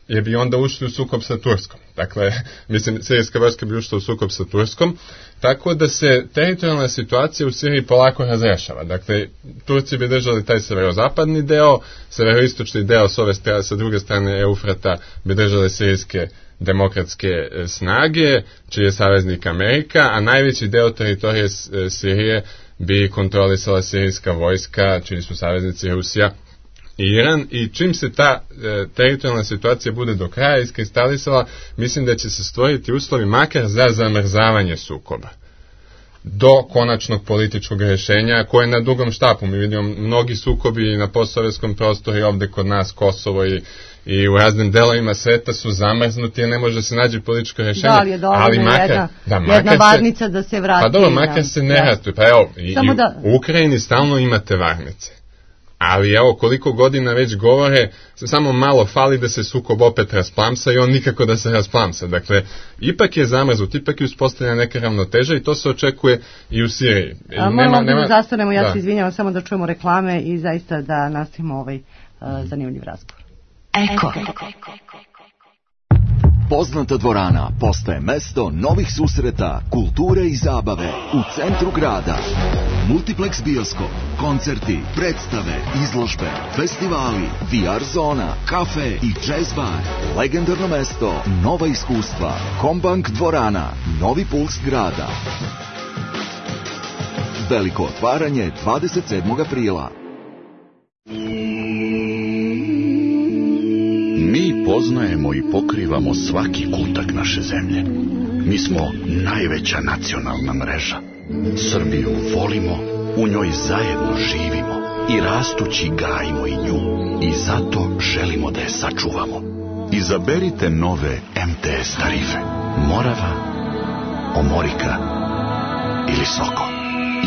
[SPEAKER 7] jer bi onda ušli u sukob sa Turskom. Dakle, mislim, sirijska vojska bi ušla u sukob sa Turskom, tako da se teritorijalna situacija u Siriji polako razrešava. Dakle, Turci bi držali taj severozapadni deo, severoistočni deo s ove strane, sa druge strane Eufrata bi držale sirijske demokratske snage, čiji je saveznik Amerika, a najveći deo teritorije Sirije bi kontrolisala sirijska vojska, čiji su saveznici Rusija i Iran, i čim se ta e, teritorijalna situacija bude do kraja iskristalisala, mislim da će se stvoriti uslovi makar za zamrzavanje sukoba do konačnog političkog rješenja koje je na dugom štapu. Mi vidimo mnogi sukobi na postsovjetskom prostoru i ovde kod nas Kosovo i, i u raznim delovima sveta su zamrznuti jer ne može se naći političko rješenje.
[SPEAKER 4] Da, ali je dovoljno
[SPEAKER 7] ali makar,
[SPEAKER 4] jedna,
[SPEAKER 7] da, makar
[SPEAKER 4] jedna varnica se, da se vrati.
[SPEAKER 7] Pa dobro, makar se ne ratuje. Pa evo, i, i
[SPEAKER 4] da...
[SPEAKER 7] u Ukrajini stalno imate varnice. Ali evo, koliko godina već govore, samo malo fali da se sukob opet rasplamsa i on nikako da se rasplamsa. Dakle, ipak je zamrznut, ipak je uspostavljena neka ravnoteža i to se očekuje i u Siriji.
[SPEAKER 4] A, nema, nema... da zastanemo, ja da. se izvinjavam samo da čujemo reklame i zaista da nastavimo ovaj uh, zanimljiv razgovor.
[SPEAKER 2] Eko.
[SPEAKER 8] Poznata dvorana postaje mesto novih susreta, kulture i zabave u centru grada. Multiplex bioskop, koncerti, predstave, izložbe, festivali, V R zona, kafe i jazz bar, legendarno mesto, nova iskustva, Kombank dvorana, novi puls grada. Veliko otvaranje dvadeset sedmog aprila.
[SPEAKER 9] Mi poznajemo i pokrivamo svaki kutak naše zemlje. Mi smo najveća nacionalna mreža. Srbiju volimo, u njoj zajedno živimo i rastući gajimo i nju. I zato želimo da je sačuvamo. Izaberite nove M T S tarife. Morava, Omorika ili Soko.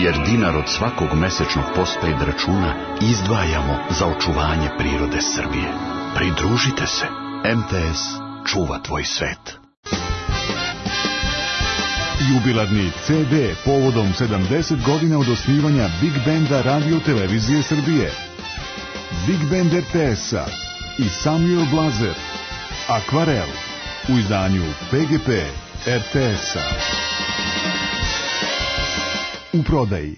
[SPEAKER 9] Jer dinar od svakog mesečnog postpaid računa izdvajamo za očuvanje prirode Srbije. Pridružite se. M T S čuva tvoj svet.
[SPEAKER 10] Jubilarni C D povodom sedamdeset godina od osnivanja Big Benda Radio Televizije Srbije. Big Band R T S-a i Samuel Blazer. Akvarel u izdanju P G P R T S-a. U prodaji.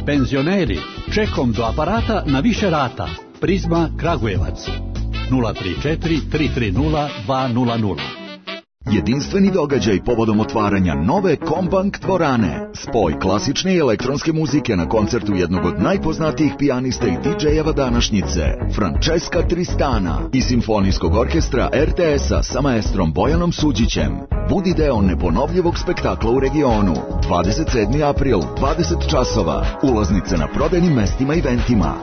[SPEAKER 11] Penzioneri, čekom do aparata na više rata. Prizma Kragujevac. nula tri četiri tri tri nula dva nula nula.
[SPEAKER 8] Jedinstveni događaj povodom otvaranja nove Kombank dvorane. Spoj klasične i elektronske muzike na koncertu jednog od najpoznatijih pijanista i didžejeva današnjice, Francesca Tristana, i simfonijskog orkestra R T S-a sa maestrom Bojanom Suđićem. Budi deo neponovljivog spektakla u regionu. dvadeset sedmi april, dvadeset časova. Ulaznice na prodajnim mestima i eventima.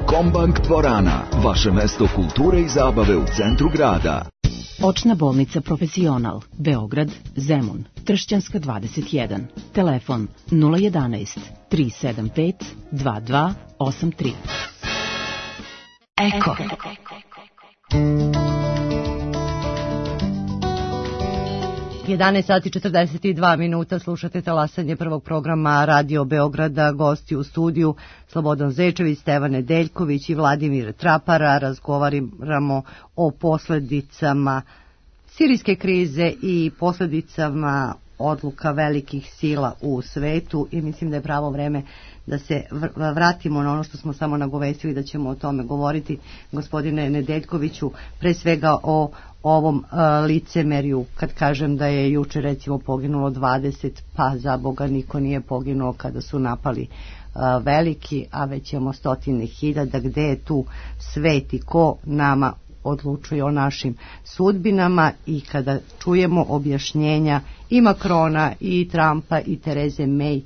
[SPEAKER 8] Kombank dvorana, vaše mesto kulture i zabave u centru grada.
[SPEAKER 2] Očna bolnica Profesional, Beograd, Zemun, Tršćanska dvadeset jedan. Telefon nula jedanaest tri sedam pet dva dva osam tri. Eko.
[SPEAKER 4] jedanaest sati četrdeset dva minuta, slušate talasanje prvog programa Radio Beograda. Gosti u studiju Slobodan Zečević, Stevan Nedeljković i Vladimir Trapara. Razgovaramo o posledicama sirijske krize i posledicama odluka velikih sila u svetu i mislim da je pravo vreme da se vratimo na ono što smo samo nagovestili da ćemo o tome govoriti. Gospodine Nedeljkoviću, pre svega o ovom uh, licemerju, kad kažem da je juče recimo poginulo dvadeset, pa za Boga niko nije poginuo kada su napali uh, veliki, a već imamo stotine hiljada. Gde je tu svet i ko nama odlučuje o našim sudbinama? I kada čujemo objašnjenja i Makrona i Trumpa i Tereze May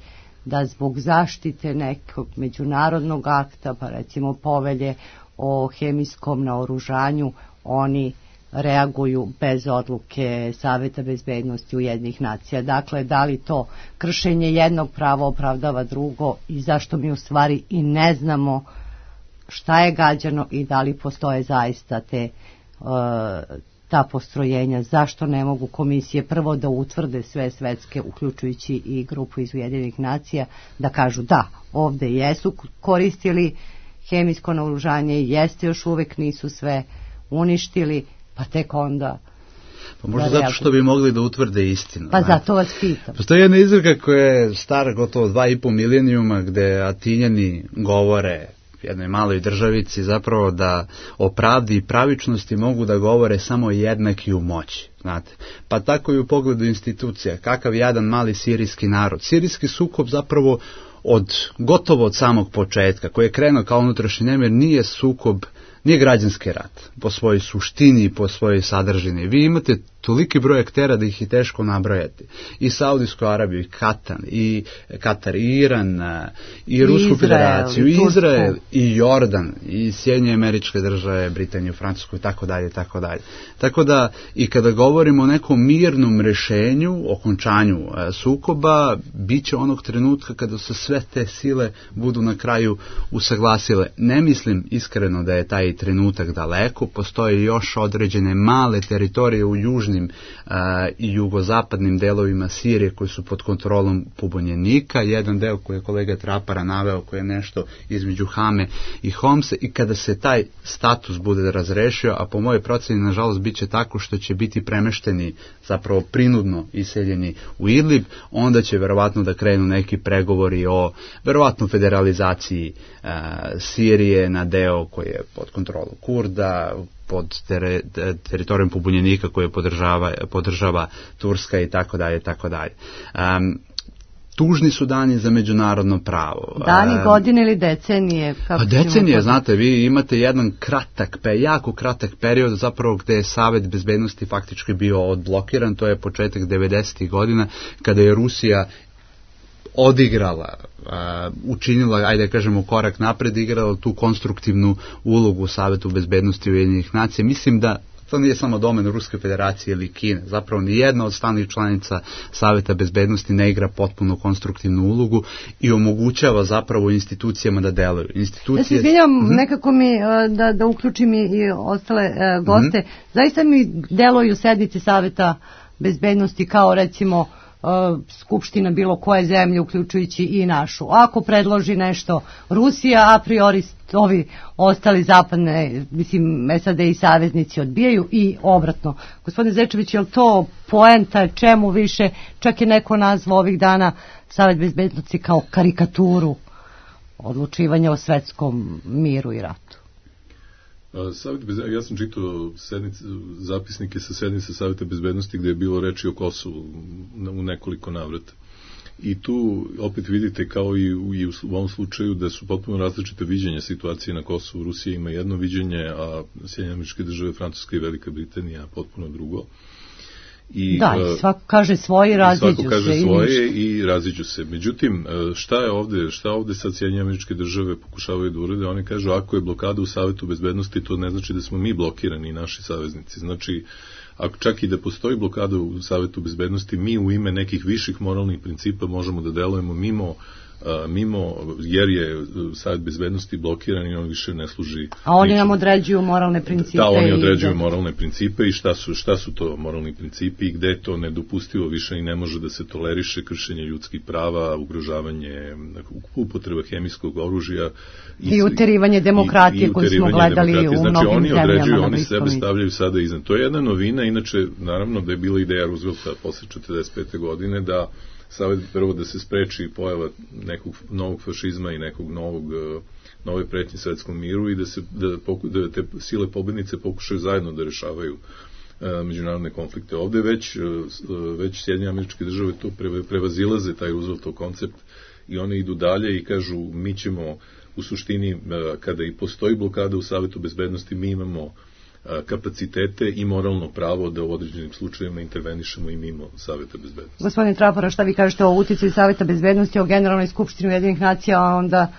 [SPEAKER 4] da zbog zaštite nekog međunarodnog akta, pa recimo povelje o hemijskom naoružanju, oni reaguju bez odluke Saveta bezbednosti Ujedinjenih nacija. Dakle, da li to kršenje jednog prava opravdava drugo i zašto mi u stvari i ne znamo šta je gađano i da li postoje zaista te uh, ta postrojenja, zašto ne mogu komisije prvo da utvrde sve svetske, uključujući i grupu iz Ujedinjenih nacija, da kažu da, ovde jesu koristili hemijsko naoružanje, jeste još uvek nisu sve uništili, pa tek onda...
[SPEAKER 6] Pa možda zato što bi mogli da utvrde istinu.
[SPEAKER 4] Pa zato vas pitam.
[SPEAKER 6] Postoji jedna izreka koja je stara gotovo dva i po milenijuma, gde Atinjani govore jednoj maloj državici zapravo da o pravdi i pravičnosti mogu da govore samo jednaki u moći, znate. Pa tako i u pogledu institucija. Kakav jedan mali sirijski narod. Sirijski sukob zapravo od gotovo od samog početka, koji je krenuo kao unutrašnji nemir, nije sukob, nije građanski rat po svojoj suštini i po svojoj sadržini. Vi imate toliki broj aktera da ih je teško nabrojati. I Saudijsku Arabiju, i Katar, i Katar, i Iran, i Rusku Izrael, federaciju, i Izrael, i Jordan, i Sjedinjene Američke Države, Britaniju, Francusku i tako dalje, tako dalje. Tako da i kada govorimo o nekom mirnom rešenju, okončanju e, sukoba, bit će onog trenutka kada se sve te sile budu na kraju usaglasile. Ne mislim iskreno da je taj trenutak daleko, postoje još određene male teritorije u južnim a, i jugozapadnim delovima Sirije koji su pod kontrolom pobunjenika, jedan deo koji je kolega Trapara naveo koji je nešto između Hame i Homse, i kada se taj status bude razrešio, a po mojoj proceni nažalost bit će tako što će biti premešteni, zapravo prinudno iseljeni u Idlib, onda će verovatno da krenu neki pregovori o verovatno federalizaciji uh, Sirije na deo koji je pod kontrolom Kurda, pod tere, teritorijom pobunjenika koje podržava, podržava Turska i tako dalje, tako dalje. Um, Tužni su dani za međunarodno pravo.
[SPEAKER 4] Dani, godine ili decenije?
[SPEAKER 6] Kako pa decenije, znate, vi imate jedan kratak, pe, jako kratak period zapravo gde je Savet bezbednosti faktički bio odblokiran, to je početak devedesetih godina, kada je Rusija odigrala, uh, učinila, ajde da kažemo, korak napred, igrala tu konstruktivnu ulogu u Savetu bezbednosti Ujedinjenih nacija. Mislim da to nije samo domen Ruske federacije ili Kine. Zapravo ni jedna od stalnih članica Saveta bezbednosti ne igra potpuno konstruktivnu ulogu i omogućava zapravo institucijama da deluju. Institucije...
[SPEAKER 4] Ja se izvinjam, mm-hmm. nekako mi da, da uključim i ostale uh, goste. Mm-hmm. Zaista mi deluju sednice Saveta bezbednosti kao recimo uh, skupština bilo koje zemlje, uključujući i našu. Ako predloži nešto Rusija, a priori ovi ostali zapadne, mislim, S A D i saveznici odbijaju i obratno. Gospodine Zečević, je li to poenta, čemu više? Čak je neko nazvao ovih dana Savet bezbednosti kao karikaturu odlučivanja o svetskom miru i ratu.
[SPEAKER 5] Savet bezbednosti, ja sam čitao sednice, zapisnike sa sednice Saveta bezbednosti gde je bilo reči o Kosovu u nekoliko navrata. I tu opet vidite kao i u, i u ovom slučaju da su potpuno različite viđenja situacije na Kosovu. Rusija ima jedno viđenje, a Sjedinjene Američke Države, Francuska i Velika Britanija potpuno drugo. I,
[SPEAKER 4] da, i svako kaže svoje i raziđu se.
[SPEAKER 5] Svako kaže svoje i raziđu se. Međutim, šta je ovde, šta ovde sad Sjedinjene Američke Države pokušavaju da urede? Oni kažu, ako je blokada u Savetu bezbednosti, to ne znači da smo mi blokirani i naši saveznici. Znači, ako čak i da postoji blokada u Savetu bezbednosti, mi u ime nekih viših moralnih principa možemo da delujemo mimo, a, mimo jer je Savet bezbednosti blokiran i on više ne služi.
[SPEAKER 4] A oni ničemu. Nam određuju moralne principe.
[SPEAKER 5] Da, oni određuju i moralne principe i šta su, šta su to moralni principi i gde je to nedopustivo više i ne može da se toleriše kršenje ljudskih prava, ugrožavanje, upotreba hemijskog oružja.
[SPEAKER 4] I, I uterivanje demokratije koju smo gledali u
[SPEAKER 5] znači,
[SPEAKER 4] mnogim
[SPEAKER 5] oni
[SPEAKER 4] zemljama.
[SPEAKER 5] Određuju, oni sebe stavljaju sada iznad. To je jedna novina, inače, naravno da je bila ideja Roosevelta posle četrdeset pete godine da Savet prvo da se spreči pojava nekog novog fašizma i nekog novog, nove pretnje svetskom miru i da, se, da, poku, da te sile pobednice pokušaju zajedno da rešavaju uh, međunarodne konflikte. Ovde već, uh, već Sjedinjene Američke Države to pre, prevazilaze taj Rooseveltov koncept i one idu dalje i kažu mi ćemo u suštini uh, kada i postoji blokada u Savetu bezbednosti mi imamo kapacitete i moralno pravo da u određenim slučajevima intervenišemo i mimo Saveta bezbednosti.
[SPEAKER 4] Gospodine Trapara, šta vi kažete o uticaju Saveta bezbednosti, o Generalnoj skupštini Ujedinjenih nacija, a onda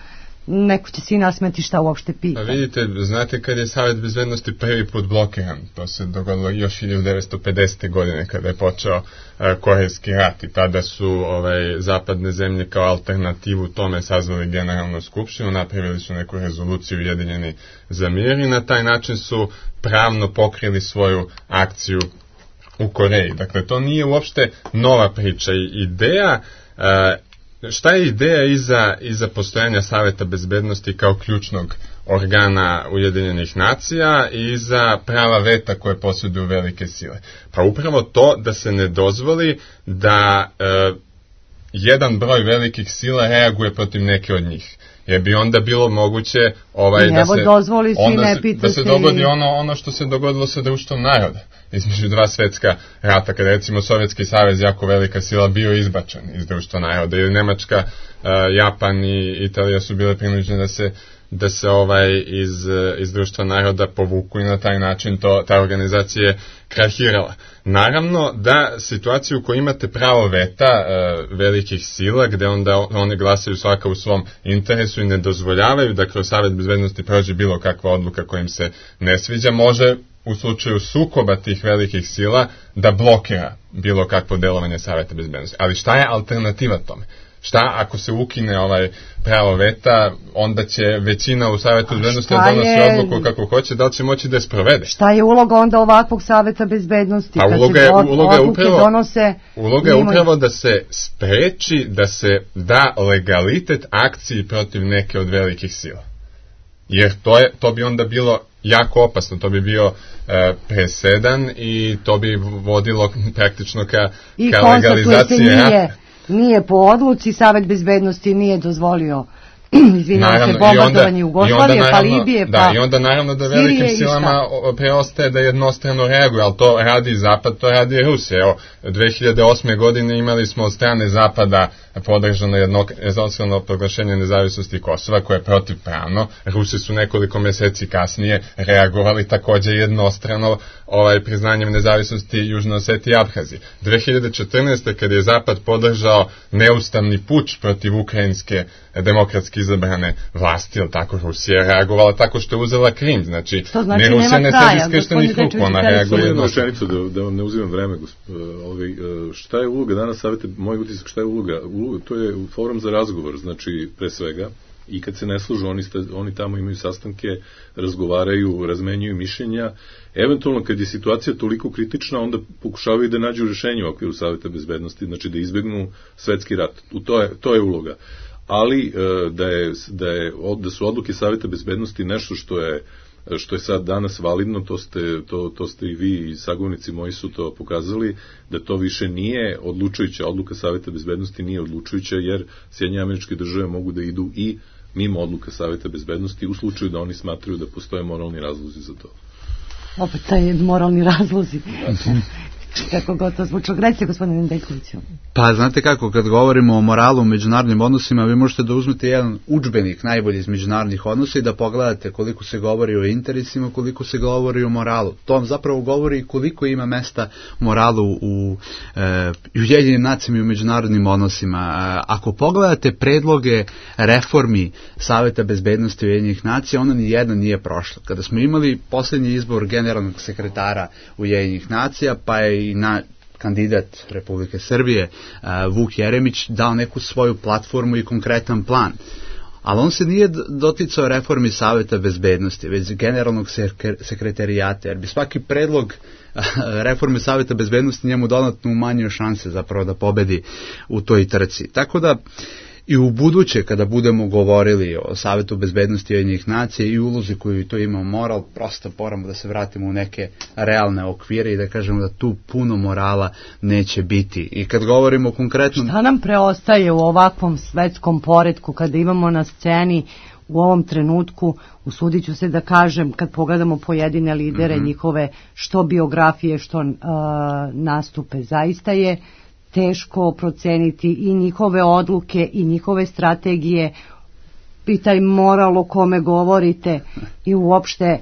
[SPEAKER 4] neko će svi nasmeti šta uopšte pita.
[SPEAKER 7] Pa vidite, znate kad je Savet bezbednosti prvi put blokiran, to se dogodilo još hiljadu devetsto pedesete. godine kada je počeo uh, Korejski rat i tada su ovaj, zapadne zemlje kao alternativu tome sazvali Generalnu skupštinu, napravili su neku rezoluciju Ujedinjeni za mir i na taj način su pravno pokrili svoju akciju u Koreji. Dakle, to nije uopšte nova priča i ideja uh, šta je ideja iza, iza postojanja Saveta bezbednosti kao ključnog organa Ujedinjenih nacija i iza prava veta koje posjeduju velike sile? Pa upravo to da se ne dozvoli da e, jedan broj velikih sila reaguje protiv neke od njih. Jer bi onda bilo moguće ovaj, da, se,
[SPEAKER 4] dozvoli si,
[SPEAKER 7] onda
[SPEAKER 4] ne
[SPEAKER 7] se, da se dogodi ono, ono što se dogodilo sa društvom naroda između dva svetska rata, kada recimo Sovjetski savez, jako velika sila, bio izbačen iz društva naroda, ili Nemačka, uh, Japan i Italija su bile prinuđene da se da se ovaj iz, iz društva naroda povuku i na taj način to, ta organizacija je krahirala. Naravno da situaciju u kojoj imate pravo veta e, velikih sila, gde onda oni glasaju svaka u svom interesu i ne dozvoljavaju da kroz Savet bezbednosti prođe bilo kakva odluka koja im se ne sviđa, može u slučaju sukoba tih velikih sila da blokira bilo kakvo delovanje Saveta bezbednosti. Ali šta je alternativa tome? Šta ako se ukine ovaj pravo veta, onda će većina u Savetu bezbednosti da donosi je... odluku kako hoće, da li će moći da je sprovede?
[SPEAKER 4] Šta je uloga onda ovakvog Saveta bezbednosti?
[SPEAKER 7] Pa uloga je, uloga je upravo,
[SPEAKER 4] donose,
[SPEAKER 7] uloga je upravo da se spreči, da se da legalitet akciji protiv neke od velikih sila. Jer to, je, to bi onda bilo jako opasno, to bi bio e, presedan i to bi vodilo praktično ka,
[SPEAKER 4] I
[SPEAKER 7] ka legalizaciji
[SPEAKER 4] nije, nije po odluci, Savet bezbednosti nije dozvolio izvinjam se, bombardovanje Jugoslavije, pa Libije, pa
[SPEAKER 7] da, i onda naravno da velikim silama preostaje da jednostrano reaguje, ali to radi Zapad, to radi Rusija. Evo, dve hiljade osme. godine imali smo od strane Zapada podržano jednostrano proglašenje nezavisnosti Kosova, koje je protivpravno. Rusi su nekoliko meseci kasnije reagovali takođe jednostrano ovaj, priznanjem nezavisnosti Južne Osetije i Abhazije. dve hiljade četrnaeste. kad je Zapad podržao neustavni puč protiv ukrajinske demokratske izabrane vlasti, ili tako, Rusija je reagovala tako što je uzela Krim, znači,
[SPEAKER 4] znači
[SPEAKER 7] ne Rusija ne sedi skrštenih ruku, ona reaguje
[SPEAKER 5] jednu rečenicu, da, da vam ne uzimam vreme, ovaj, šta je uloga danas savete, moj utisak, šta je uloga? uloga, to je forum za razgovor, znači, pre svega, i kad se ne služu, oni, sta, oni tamo imaju sastanke, razgovaraju, razmenjuju mišljenja, eventualno kad je situacija toliko kritična, onda pokušavaju da nađu rešenje u okviru Saveta bezbednosti, znači da izbegnu svetski rat, u to je, to je uloga. Ali da, je, da, je, da su odluke Saveta bezbednosti nešto što je, što je sad danas validno, to ste, to, to ste i vi i sagovornici moji su to pokazali, da to više nije odlučujuća, odluka Saveta bezbednosti nije odlučujuća, jer Sjedinjene Američke Države mogu da idu i mimo odluka Saveta bezbednosti u slučaju da oni smatraju da postoje moralni razlozi za to.
[SPEAKER 4] Opet taj moralni razlozi. Kako gotovo zvučog. Recite, gospodine Nedeljkoviću.
[SPEAKER 6] Pa, znate kako, kad govorimo o moralu u međunarodnim odnosima, vi možete da uzmete jedan udžbenik najbolji iz međunarodnih odnosa i da pogledate koliko se govori o interesima, koliko se govori o moralu. To vam zapravo govori koliko ima mesta moralu u e, Ujedinjenim nacijama i u međunarodnim odnosima. E, ako pogledate predloge reformi Saveta bezbednosti Ujedinjenih nacija, ono ni jedna nije prošla. Kada smo imali posljednji izbor generalnog sekretara Ujedinjenih nacija, pa je i na kandidat Republike Srbije Vuk Jeremić dao neku svoju platformu i konkretan plan. Ali on se nije doticao reformi Saveta bezbednosti, već generalnog sekretarijata, jer bi svaki predlog reforme Saveta bezbednosti njemu dodatno umanjio šanse zapravo da pobedi u toj trci. Tako da i u buduće, kada budemo govorili o Savetu bezbednosti Ujedinjenih nacija i ulozi koju to ima moral, prosto moramo da se vratimo u neke realne okvire i da kažemo da tu puno morala neće biti. I kad govorimo konkretno...
[SPEAKER 4] Šta nam preostaje u ovakvom svetskom poretku kada imamo na sceni u ovom trenutku, usudit ću se da kažem, kad pogledamo pojedine lidere, mm-hmm. njihove što biografije, što uh, nastupe, zaista je teško proceniti i njihove odluke i njihove strategije i taj moral o kome govorite i uopšte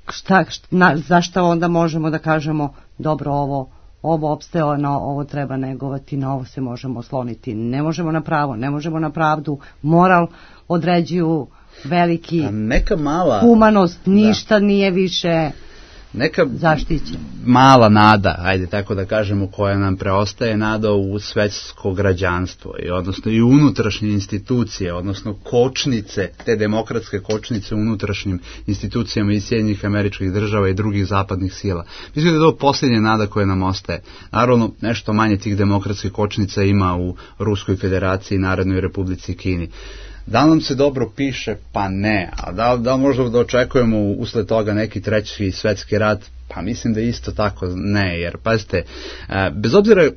[SPEAKER 4] šta, šta, zašto onda možemo da kažemo dobro ovo ovo opsteo, no ovo treba negovati, na ovo se možemo osloniti. Ne možemo na pravo, ne možemo na pravdu. Moral određuju veliki
[SPEAKER 6] neka mala
[SPEAKER 4] humanost, ništa da. Nije više
[SPEAKER 6] neka
[SPEAKER 4] zaštićena.
[SPEAKER 6] Mala nada, ajde tako da kažemo, koja nam preostaje, nada u svetsko građanstvo i odnosno i unutrašnje institucije, odnosno kočnice, te demokratske kočnice u unutrašnjim institucijama i Sjedinjenih Američkih Država i drugih zapadnih sila. Mislim da je to posljednja nada koja nam ostaje. Naravno, nešto manje tih demokratskih kočnica ima u Ruskoj Federaciji i Narodnoj Republici Kini. Da nam se dobro piše? Pa ne. A da, da možda da očekujemo usled toga neki treći svetski rat? Pa mislim da isto tako ne, jer pazite, bez obzira,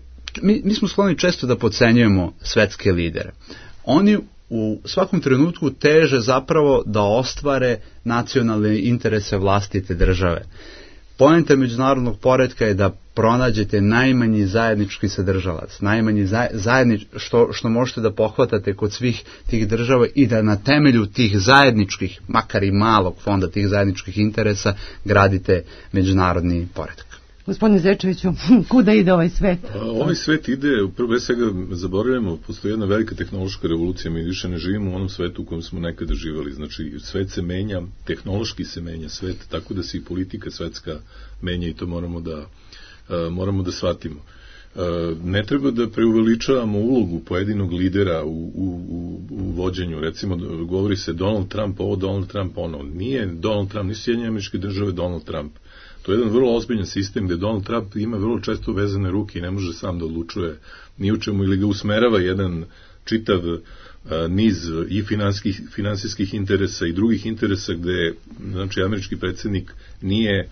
[SPEAKER 6] mi, mi smo skloni često da podcenjujemo svetske lidere. Oni u svakom trenutku teže zapravo da ostvare nacionalne interese vlastite države. Poenta međunarodnog poretka je da pronađete najmanji zajednički sadržalac, najmanji zajednič, što, što možete da pohvatate kod svih tih država i da na temelju tih zajedničkih, makar i malog fonda tih zajedničkih interesa, gradite međunarodni poredak.
[SPEAKER 4] Gospodine Zečeviću, kuda ide ovaj svet?
[SPEAKER 5] A, ovaj svet ide, prvo svega zaboravljamo, postoji jedna velika tehnološka revolucija, mi više ne živimo u onom svetu u kojem smo nekada živjeli, znači svet se menja, tehnološki se menja svet, tako da se i politika svetska menja i to moramo da, a, moramo da shvatimo. ne treba da preuveličavamo ulogu pojedinog lidera u, u, u, u vođenju. Recimo, govori se Donald Trump ovo, Donald Trump ono. Nije Donald Trump, nisu Sjedinjene Američke Države Donald Trump. To je jedan vrlo ozbiljan sistem gde Donald Trump ima vrlo često vezane ruke i ne može sam da odlučuje ni u čemu, ili ga usmerava jedan čitav niz i finansijskih, finansijskih interesa i drugih interesa gde, znači, američki predsjednik nije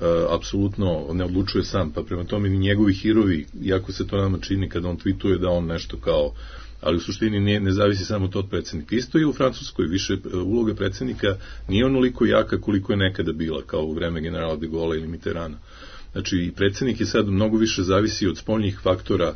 [SPEAKER 5] Uh, apsolutno ne odlučuje sam, pa prema tome ni njegovi hirovi, iako se to nama čini kada on tweetuje da on nešto kao, ali u suštini ne, ne zavisi samo to od predsjednika. Isto i u Francuskoj, više uh, uloga predsjednika nije onoliko jaka koliko je nekada bila, kao u vreme generala de Gaulle ili Mitterranda. Znači, predsjednik je sad mnogo više zavisi od spoljnih faktora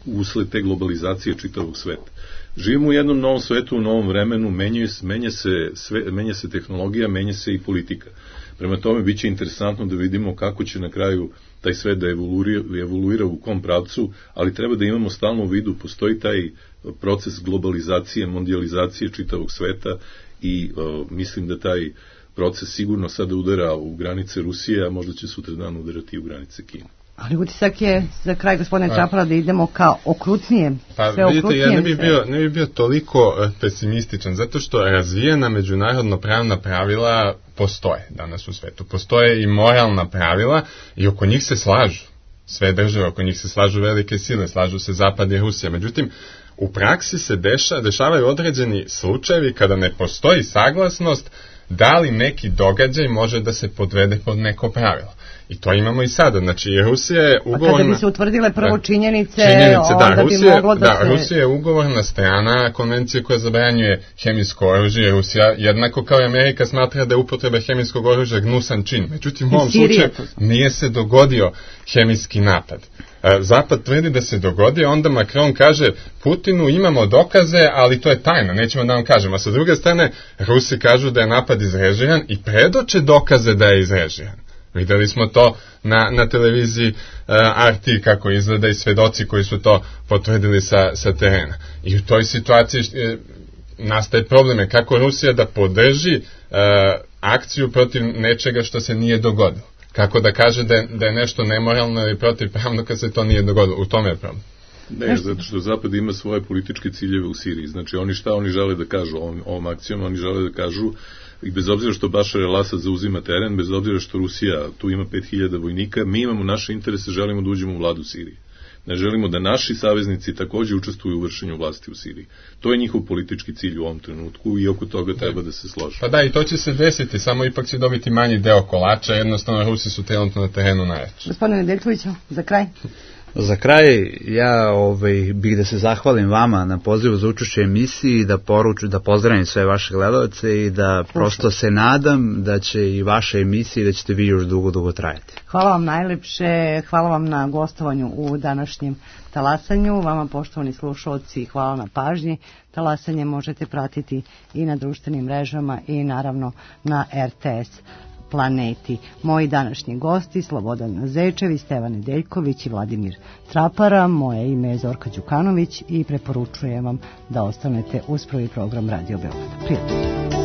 [SPEAKER 5] usled te globalizacije čitavog sveta. Živimo u jednom novom svetu, u novom vremenu, menja se, menja se, sve, menja se tehnologija, menja se i politika. Prema tome, bit će interesantno da vidimo kako će na kraju taj svet da evoluira, evoluira u kom pravcu, ali treba da imamo stalno u vidu, postoji taj proces globalizacije, mondializacije čitavog sveta i uh, mislim da taj proces sigurno sada udara u granice Rusije, a možda će sutra dan udarati i u granice Kine.
[SPEAKER 4] Ali utisak je za kraj, gospodine Čapara, da idemo ka okrutnije.
[SPEAKER 7] Pa vidite, ja ne bi, bio, ne bi bio toliko pesimističan, zato što razvijena međunarodno pravna pravila postoje danas u svetu. Postoje i moralna pravila i oko njih se slažu. Sve države, oko njih se slažu velike sile, slažu se Zapad i Rusija. Međutim, u praksi se deša, dešavaju određeni slučajevi kada ne postoji saglasnost da li neki događaj može da se podvede pod neko pravilo. I to imamo i sada, znači Rusija je ugovorna... A
[SPEAKER 4] kada bi se utvrdile prvo činjenice,
[SPEAKER 7] činjenice
[SPEAKER 4] onda
[SPEAKER 7] da, Rusija,
[SPEAKER 4] bi moglo da,
[SPEAKER 7] da
[SPEAKER 4] se...
[SPEAKER 7] Da, Rusija je ugovorna strana konvencije koja zabranjuje hemijsko oružje. Rusija, jednako kao i Amerika, smatra da je upotreba hemijskog oružja gnusan čin. Međutim, u ovom slučaju nije se dogodio hemijski napad. Zapad tvrdi da se dogodio, onda Macron kaže Putinu imamo dokaze, ali to je tajna, nećemo da vam kažemo. A sa druge strane, Rusi kažu da je napad izrežiran i predoče dokaze da je izrežiran. Videli smo to na, na televiziji uh, R T kako izgleda i svedoci koji su to potvrdili sa, sa terena. I u toj situaciji uh, nastaje probleme kako Rusija da podrži uh, akciju protiv nečega što se nije dogodilo. Kako da kaže da je, da je nešto nemoralno ili protivpravno kad se to nije dogodilo. U tome je problem.
[SPEAKER 5] Ne, zato što Zapad ima svoje političke ciljeve u Siriji. Znači, oni šta oni žele da kažu ovom, ovom akcijom, oni žele da kažu i bez obzira što Bašar el-Asad zauzima teren, bez obzira što Rusija tu ima pet hiljada vojnika, mi imamo naše interese, želimo da uđemo u vladu Sirije. Ne želimo da naši saveznici takođe učestvuju u vršenju vlasti u Siriji. To je njihov politički cilj u ovom trenutku i oko toga treba da se složi.
[SPEAKER 7] Pa da, i to će se desiti, samo ipak će dobiti manji deo kolača, jednostavno Rusi su trenutno na terenu najjači.
[SPEAKER 4] Gospodine Nedeljkoviću, za kraj.
[SPEAKER 6] Za kraj, ja ovaj, bih da se zahvalim vama na pozivu za učešće emisiji i da poruču, da pozdravim sve vaše gledalce i da prosto se nadam da će i vaše emisije, da ćete vi još dugo, dugo trajati.
[SPEAKER 4] Hvala vam najlepše, hvala vam na gostovanju u današnjem talasanju, vama poštovani slušalci, hvala na pažnji. Talasanje možete pratiti i na društvenim mrežama i naravno na R T S planeti. Moji današnji gosti Slobodan Zečević, Stevan Nedeljković i Vladimir Trapara. Moje ime je Zorka Đukanović i preporučujem vam da ostanete uz prvi program Radio Beograda. Prijatno.